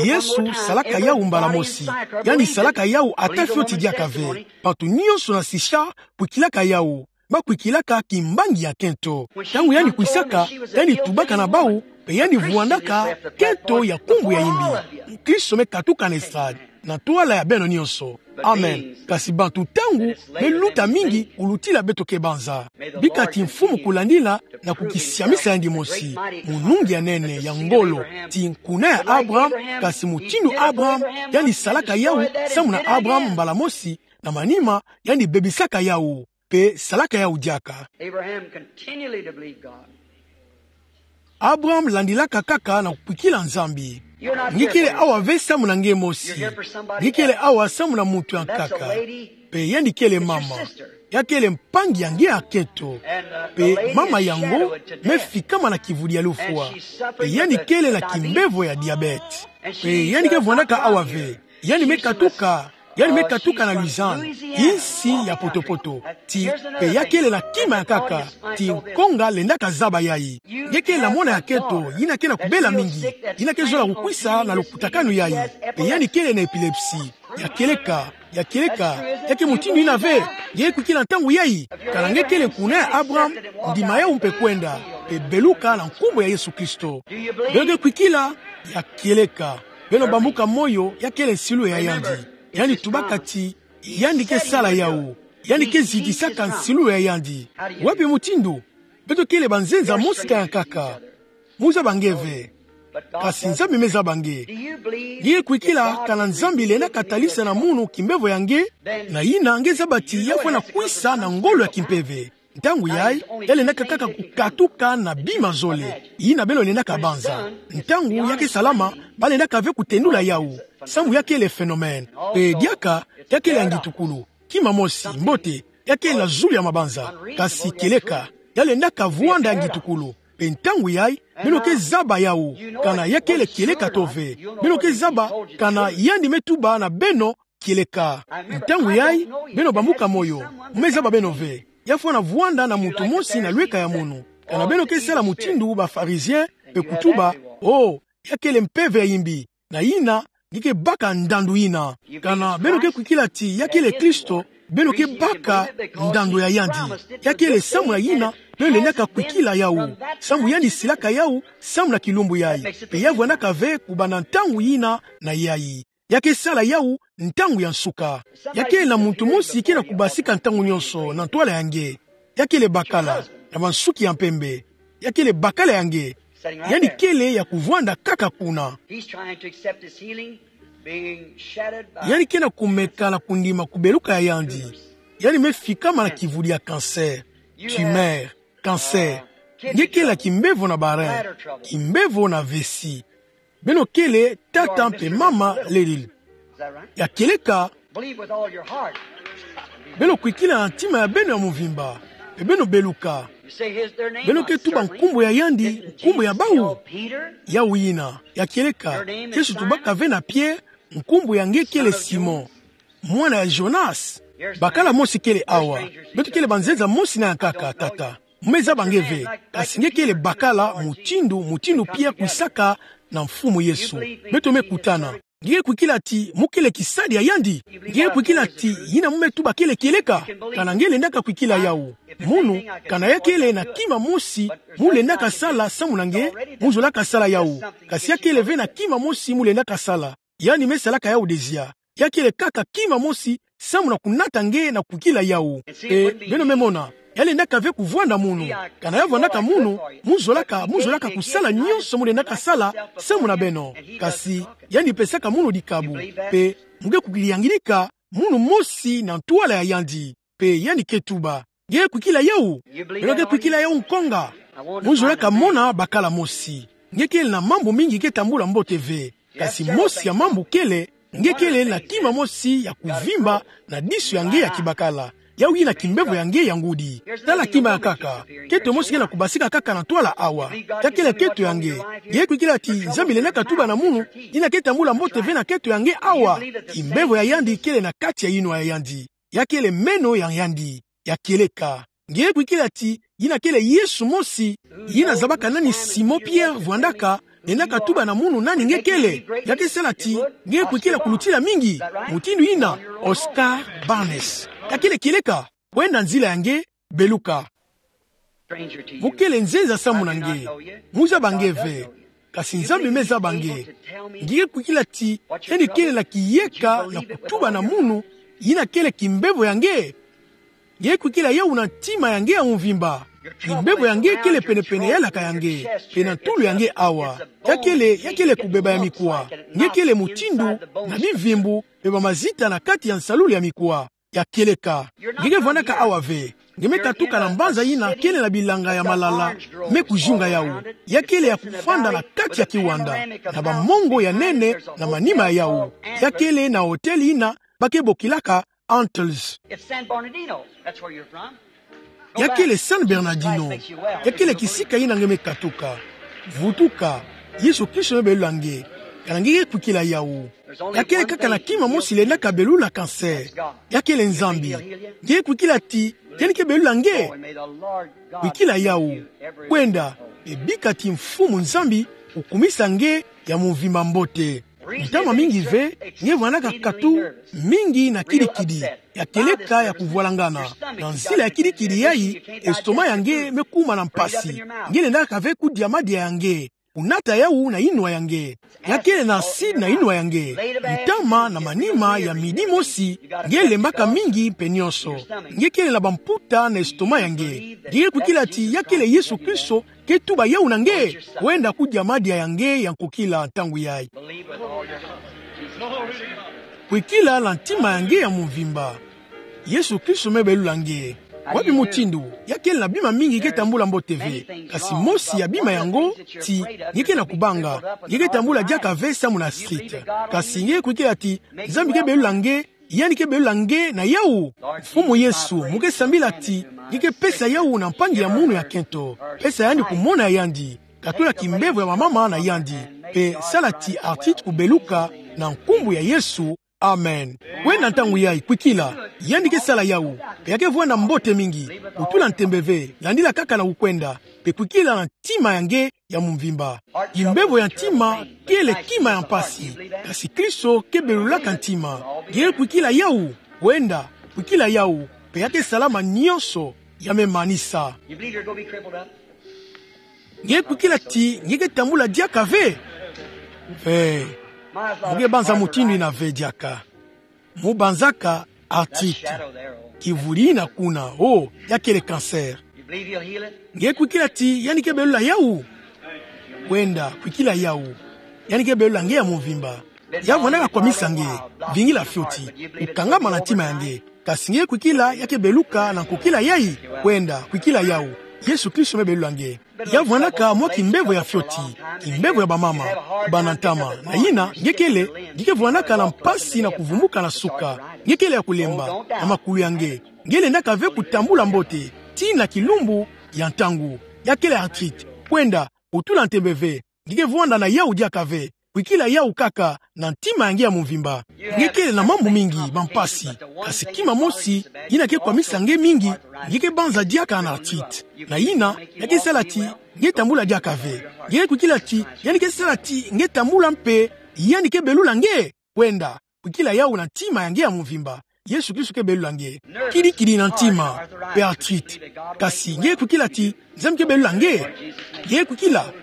Yesu salaka yawu mbala mosi. Yandi salaka yawu ata fioti diaka ve. Bantu nyonso na sisa kwikilaka yawu. Ba kwikilaka kimbangi ya kento. Ntangu yandi kwisaka, yandi tubaka na bawu, Yandi vwandaka keto ya nkumbu ya imbi. Mukristo me katuka na estrade, na ntwala ya beno nyonso. Amen. Kasi bantu ntangu me luta mingi kulutila beto ke banza. Bika ti Mfumu kulandila na kukisiamisa yandi mosi, munungi ya nene, ya ngolo, ti nkuna ya Abraham, kasi mutindu Abraham yandi salaka yawu, samu na Abraham mbala mosi, na manima yandi bebisaka yawu, mpe salaka yawu diaka. Abraham continually to believe God. Abraham landilaka kaka na kukwikila Nzambi. Nge kele awa ve samu na nge mosi. Nge kele awa samu na muntu ya nkaka. Mpe yandi kele mama. Ya kele mpangi ya nge ya keto. Mpe mama yango me fikama na kivudi ya lufwa. Mpe yandi kele na kimbevo ya diabète. Mpe yandi ke vwandaka awa ve. Yandi me katuka, yandi me katuka na Lausanne, insi ya poto-poto. Ti, mpe ya kele na kima ya nkaka, ti nkonga lendaka zaba yayi. Nge kele na mwana ya keto, yina ke na kubela mingi, yina ke zola kukwisa na lukutakanu yayi. Mpe yandi kele na épilepsie. Ya kieleka, ya kieleka, ya ke mutindu yina ve, nge kwikila ntangu yayi. Kana nge kele nkuna ya Abraham, ndima yawu mpe kwenda, mpe beluka na nkumbu ya Yesu Kristo. Beno nge kwikila, ya kieleka. Beno bambuka moyo, ya kele nsilu ya yandi. Yandi tubaka ti, yandi ke sala yawu. Yandi ke zidisaka nsilu ya yandi. Wapi mutindu? Beto kele banzenza mosi ka ya nkaka. Mu zaba nge ve. Kasi Nzambi me zaba nge. Nge kwikila kana Nzambi lenda katalisa na munu kimbevo ya nge, na yina nge zaba ti ya fwana kwisa na ngolo ya kimpeve. Ntangu yayi, ya lendaka kaka kukatuka na bima zole. Yina beno lendaka banza. Ntangu ya ke salama, ba lendaka ve kutendula yawu. Samu ya kele phénomène. Mpe diaka, ya kele ya ngitukulu. Kima mosi, mbote, ya kele na zulu ya mabanza. Kasi kieleka, ya lendaka vwanda ya ngitukulu. Mpe ntangu yayi, beno ke zaba yawu, kana ya kele kieleka to ve. Beno ke zaba, kana yandi me tuba na beno, kieleka. Ntangu yayi, beno bambuka moyo. Mu me zaba beno ve. Ya fwana vwanda na muntu mosi na lweka ya munu. Kana beno ke sala mutindu ba pharisiens, mpe kutuba, oh, ya kele mpeve ya yimbi. Na yina, nge ke baka ndandu yina. Kana beno ke kwikila ti ya kele Kristo, beno ke baka ndandu ya yandi. Ya kele samu na yina, beno lendaka kwikila yawu. Samu yandi silaka yawu, samu na kilumbu yayi. Mpe ya vwandaka ve kubanda ntangu yina na yayi. Ya ke sala yawu ntangu ya nsuka. Ya kele na muntu mosi ke na kubasika ntangu nyonso na ntwala ya nge. Ya kele bakala, na bansuki ya mpembe. Ya kele bakala ya nge. Yandi kele ya kuvwanda kaka kuna. He's trying to accept his healing, being shattered by Yandi ke na kumeka na kundima kubeluka ya yandi. Yandi me fikama na kivudi ya cancer. Tumeur, cancer. Nge kele na kimbevo na ba reins. Kimbevo na vessie. Beno kele tata mpe mama ledile. Ya kieleka, beno kwikila na ntima ya beno ya muvimba, mpe beno beluka. Beno ke tuba nkumbu ya yandi, nkumbu ya bawu? Yawu yina, ya kieleka, Yesu tubaka ve na Pierre, nkumbu ya nge kele Simon, mwana ya Jonas. Bakala mosi kele awa. Beto kele banzenza mosi na ya nkaka, tata. Mu me zaba nge ve, kasi nge kele bakala mutindu, mutindu Pierre kwisaka na Mfumu Yesu. Beto me kutana. Nge kwikila ti mu kele kisadi ya yandi? Nge kwikila ti yina mu me tuba kele kieleka? Kana nge lendaka kwikila yawu? Munu, kana ya kele na kima mosi mu lendaka sala samu na nge, mu zolaka sala yawu. Kasi ya kele ve na kima mosi mu lendaka sala. Yandi me salaka yawu dezia. Ya kele kaka kima mosi, samu na kunata nge na kwikila yawu. E, beno me mona. Ya lendaka ve kuvwanda munu. Kana ya vwandaka munu, mu zolaka, mu zolaka kusala nyonso mu lendaka sala, samu na beno. Kasi, yandi pesaka munu dikabu. Mpe, mu ke kukiyanginika, munu mosi na ntwala ya yandi. Mpe yandi ke tuba. Nge kwikila yawu? Beno ke kwikila yawu nkonga? Mu zolaka mona bakala mosi. Nge kele na mambu mingi ke tambula mbote ve. Kasi mosi ya mambu kele, nge kele na kima mosi ya kuvimba na disu ya nge ya kibakala. Yawu yina kimbevo ya nge ya ngudi. Tala kima ya nkaka. Keto mosi ke na kubasika kaka na ntwala awa. Ya kele keto ya nge. Nge kwikila ti Nzambi lendaka tuba na munu, yina ke tambula mbote ve na keto ya nge awa? Kimbevo ya yandi kele na kati ya yinwa ya yandi. Ya kele meno ya yandi. Ya kieleka. Nge kwikila ti yina kele Yesu mosi? Yina zabaka nani Simon Pierre vwandaka, lendaka tuba na munu nani nge kele. Ya ke sala ti, nge kwikila kulutila mingi. Mutindu yina, Oscar Barnes. Ya kele kieleka. Kwenda nzila ya nge, beluka. Mu kele nzenza samu na nge. Mu zaba nge ve. kasi Nzambi me zaba nge. Nge ke kwikila ti, yandi kele na kiyeka na kutuba na munu, yina kele kimbevo ya nge. Nge ke kwikila yawu na ntima ya nge ya mvimba. Kimbevo ya nge kele penepene ya laka ya nge, pe na ntulu ya nge awa. Ya kele, ya kele kubeba ya mikuwa. Nge kele mutindu na bimvimbu, pe ba mazita na kati ya nsalulu ya mikuwa ya kieleka. Nge ke vwandaka awa ve. Nge me katuka na mbanza yina kele na bilanga ya malala me kuzunga yawu. Ya kele ya kufanda na kati ya kiwanda, na bamongo ya nene na manima ya yawu. Ya kele na hôtel yina ba ke bokilaka Antlers. It's San Bernardino. That's where you're from. Ya kele San Bernardino. Ya kele kisika yina nge me katuka. Vutuka. Yesu Kristo me belula nge. Kana nge ke kwikila yawu. Ya kele kaka na kima mosi lendaka belula cancer. Ya kele Nzambi. Nge ke kwikila ti yandi ke belula nge. Kwikila yawu. Kwenda, e bika ti Mfumu Nzambi kukumisa nge ya mvimba mbote. Ntama mingi ve, nge vwandaka katu mingi na kidikidi, ya kieleka ya kuvwalangana. Na nzila ya kidikidi yayi, estomac ya nge me kuma na mpasi. Nge lendaka ve kudia madia ya nge, kunata yawu na inwa ya nge. Ya kele na acide na inwa ya nge. Ntama na manima ya midi mosi, nge lembaka mingi mpe nionso. Nge kele na bamputa na estomac ya nge. Nge ke kwikila ti ya kele Yesu Kristo ke tuba yawu na nge. Kwenda kudia madia ya nge ya nkukila ntangu yayi. Kwikila na ntima ya nge ya mvimba. Yesu Kristo me belula nge. Wapi mutindu? Ya kele na bima mingi ke tambula mbote ve. Kasi mosi ya bima yango ti nge ke na kubanga. Nge ke tambula diaka ve samu na street. Kasi nge ke kwikila ti Nzambi ke belula nge, yandi ke belula nge na yawu. Mfumu Yesu, mu ke sambila ti nge ke pesa yawu na mpangi ya munu ya kento. Pesa yandi kumona ya yandi. Katula kimbevo ya bamama na yandi. Mpe sala ti arthrite kubeluka na nkumbu ya Yesu. Amen. Kwenda ntangu yayi kwikila. Yandi ke sala yawu. Mpe ya ke vwanda mbote mingi. Kutula ntembe ve. Landila kaka na kukwenda. Mpe kwikila na ntima ya nge ya mvimba. Kimbevo ya ntima kele kima ya mpasi. Kasi Kristo ke belulaka ntima. Nge ke kwikila yawu. Kwenda, kwikila yawu. Mpe ya ke sala manionso ya me manisa. You believe you're gonna be crippled up? Nge ke kwikila ti nge ke tambula diaka ve? Ve. Mu ke banza mutindu yina ve diaka. Mu banzaka arthrite. Kivuli yina kuna, oh, ya kele cancer. You believe he'll heal it? Nge ke kwikila ti yandi ke belula yawu? Kwenda, kwikila yawu. Yandi ke belula nge ya mvimba. Ya vwandaka kwamisa nge, vingila fioti, kukangama na ntima ya nge. Kasi nge ke kwikila ya ke beluka na nkukila yayi? Kwenda, kwikila yawu. Yesu Kristo me belula nge. Ya vwandaka mwa kimbevo ya fioti, kimbevo ya bamama, kubanda ntama. Na yina, nge kele, nge ke vwandaka na mpasi na kuvumuka na suka. Nge kele ya kulemba na makulu ya nge. Nge lendaka ve kutambula mbote, tii na kilumbu ya ntangu. Ya kele arthrite. Kwenda, kutula ntembe ve. Nge ke vwanda na yawu diaka ve. Kwikila yawu kaka na ntima ya nge ya mvimba. Nge kele na mambu mingi ma mpasi. Kasi kima mosi yina ke kwamisa nge mingi, nge ke banza diaka na arthrite. Na yina, ya ke sala ti nge tambula diaka ve. Nge ke kwikila ti yandi ke sala ti nge tambula mpe yandi ke belula nge? Kwenda, kwikila yawu na ntima ya nge ya mvimba. Yesu Kristo ke belula nge. Kidikidi na ntima, pe arthrite. Kasi nge ke kwikila ti Nzambi ke belula nge? Nge ke kwikila?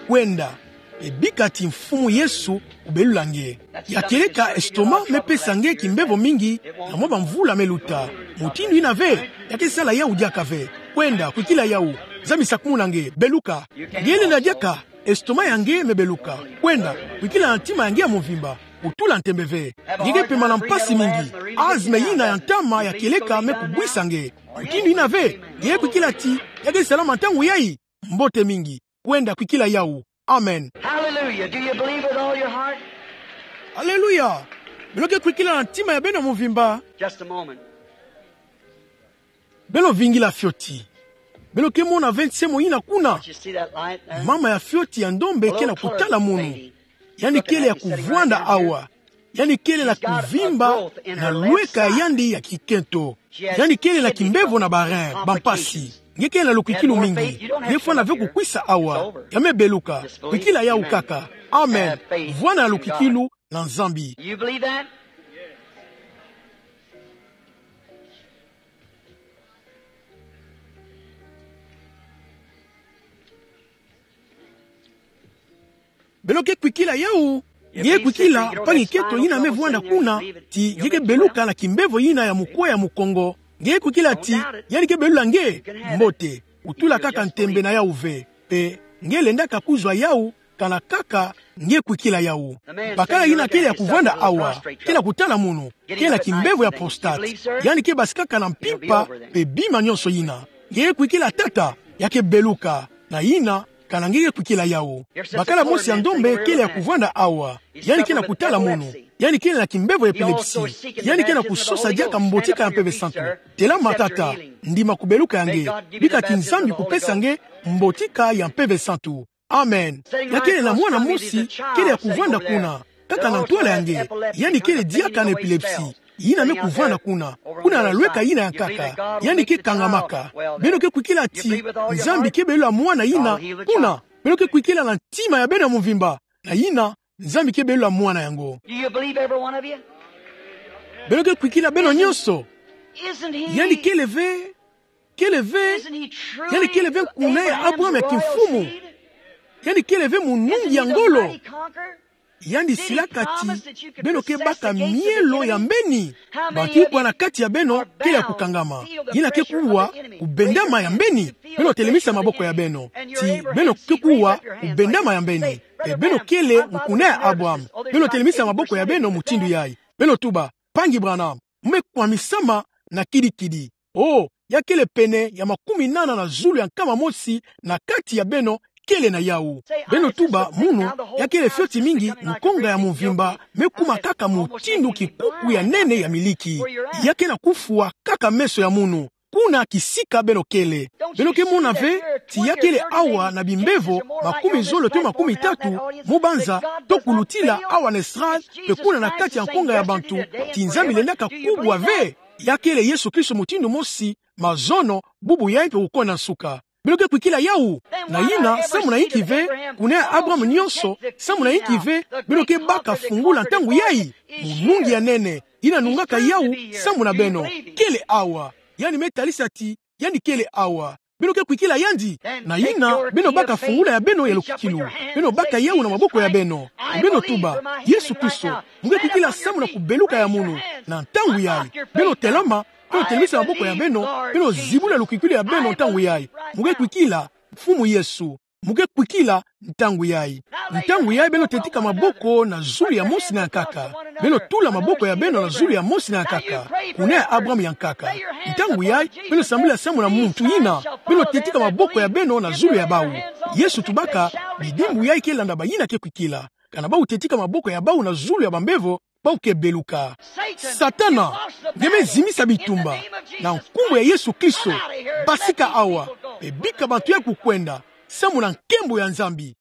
Kwenda, e bika ti Mfumu Yesu kubelula nge. Ya kieleka estomac me pesa nge kimbevo mingi na mwa bamvula me luta. Mutindu yina ve, ya ke sala yawu diaka ve. Kwenda, kwikila yawu. Nzambi sakumuna nge, beluka. Nge lenda diaka, estomac ya nge me beluka. Kwenda, kwikila na ntima ya nge ya mvimba. Kutula ntembe ve. Nge ke pema na mpasi mingi. Asthme yina ya ntama ya kieleka me kubwisa nge. Mutindu yina ve, nge ke kwikila ti ya ke salama ntangu yayi? Mbote mingi. Kwenda, kwikila yawu. Amen. Hallelujah. Do you believe with all your heart? Aleluya. Beno ke kwikila na ntima ya beno mvimba? Just a moment. Beno vingila fioti. Beno ke mona ve nsemo yina kuna. Don't you see that light there? Mama ya fioti ya ndombe ke na kutala munu. Yandi kele ya kuvwanda awa. Yandi kele na kuvimba na lweka ya yandi ya kikento. Yandi kele na kimbevo na ba rein, bampasi. Nge kele na lukikilu mingi. Nge fwana ve kukwisa awa. Ya me beluka. Kwikila yawu kaka. Amen. Vwanda na lukikilu na Nzambi. You believe that? Beno ke kwikila yawu. Nge kwikila, mpangi keto yina me vwanda kuna, ti nge ke beluka na kimbevo yina ya mukwe ya mukongo. Nge kwikila ti, yandi ke belula nge, mbote. Utula kaka ntembe na yawu ve. Pe, nge lendaka kuzwa yawu, kana kaka, nge kwikila yawu. Bakala yina kele ya kuvwanda awa, kele ya kutala munu, kele na kimbevo ya prostate. Yandi ke basikaka na mpimpa, pe bima nyonso yina. Nge kwikila tata, ya ke beluka, na yina, kana nge ke kwikila yawu. Bakala mosi ya ndombe kele ya kuvwanda awa. Yandi kele na kutala munu. Yandi kele na kimbevo ya epilepsie. Yandi kele na kusosa diaka mbotika ya Mpeve Santu. Telama tata, ndima kubeluka ya nge. Bika ti Nzambi kupesa nge mbotika ya Mpeve Santu. Amen. Ya kele na mwana mosi, kele ya kuvwanda kuna. Kaka na ntwala ya nge. Yandi kele diaka na epilepsie. Yina me kuvwanda kuna. Kuna na lweka yina ya nkaka. Yandi ke kangamaka. Beno ke kwikila ti, Nzambi ke belula mwana yina, kuna. Beno ke kwikila na ntima ya beno ya mvimba. Na yina, Nzambi ke belula mwana yango. Do you believe, every one of you? Beno ke kwikila beno nyonso. Isn't he, yandi kele ve, kele ve, isn't he truly, yandi kele ve kuna ya Abraham ya kimfumu. Yandi kele ve munungi ya ngolo. Yandi silaka ti, beno ke baka mielo ya mbeni. Bantu ikwa na kati ya beno kele ya kukangama? Yina ke kuwa kubendama ya mbeni. Beno telemisa maboko ya beno. Ti beno ke kuwa kubendama ya mbeni. Pe beno kele mukuna ya Abraham. Beno telemisa maboko ya beno mutindu yayi. Beno tuba, Mpangi Branham, mu me kwamisama na kidikidi. Oh, ya kele pene ya makumi nana na zulu ya nkama mosi na kati ya beno kele na yawu. Beno tuba, munu, ya kele fioti mingi, nkonga ya mvimba me kuma kaka mutindu kikuku ya nene ya miliki. Ya ke na kufwa kaka meso ya munu. Kuna kisika beno kele. Beno ke mona ve, ti ya kele awa na bimbevo makumi zole to makumi tatu, mu banza, to kulutila awa na estrade, pe kuna na kati ya nkonga ya bantu, ti Nzambi lendaka kubwa ve. Ya kele Yesu Kristo mutindu mosi, mazono, bubu yayi pe kukonda nsuka. Beno ke kwikila yawu. Na yina, samu na inki ve, kuna ya Abraham nyonso, samu na inki ve, beno ke baka fungula ntangu yayi? Munungi ya nene, yina nungaka yawu, samu na beno, kele awa. Yandi me talisa ti, yandi kele awa. Beno ke kwikila yandi. Na yina, beno baka fungula ya beno ya lukikilu. Beno baka yawu na maboko ya beno. Beno tuba, Yesu Kristo, mu ke kwikila samu na kubeluka ya munu. Na ntangu yayi, beno telama, beno telemisa maboko ya beno, beno zibula lukikilu ya beno ntangu yayi. Mu ke kwikila, Mfumu Yesu. Mu ke kwikila ntangu yayi. Ntangu yayi beno tetika maboko na zulu ya mosi na ya nkaka. Beno tula maboko ya beno na zulu ya mosi na ya nkaka. Kuna ya Abraham ya nkaka. Ntangu yayi beno sambila samu na muntu yina. Beno tetika maboko ya beno na zulu ya bawu. Yesu tubaka, bidimbu yayi ke landa bayina ke kwikila. Kana bawu tetika maboko ya bawu na zulu ya bambevo, bawu ke beluka. Satana, nge me zimisa bitumba. Na nkumbu ya Yesu Kristo, basika awa, pe bika bantu yayi kukwenda, samu na nkembo ya Nzambi.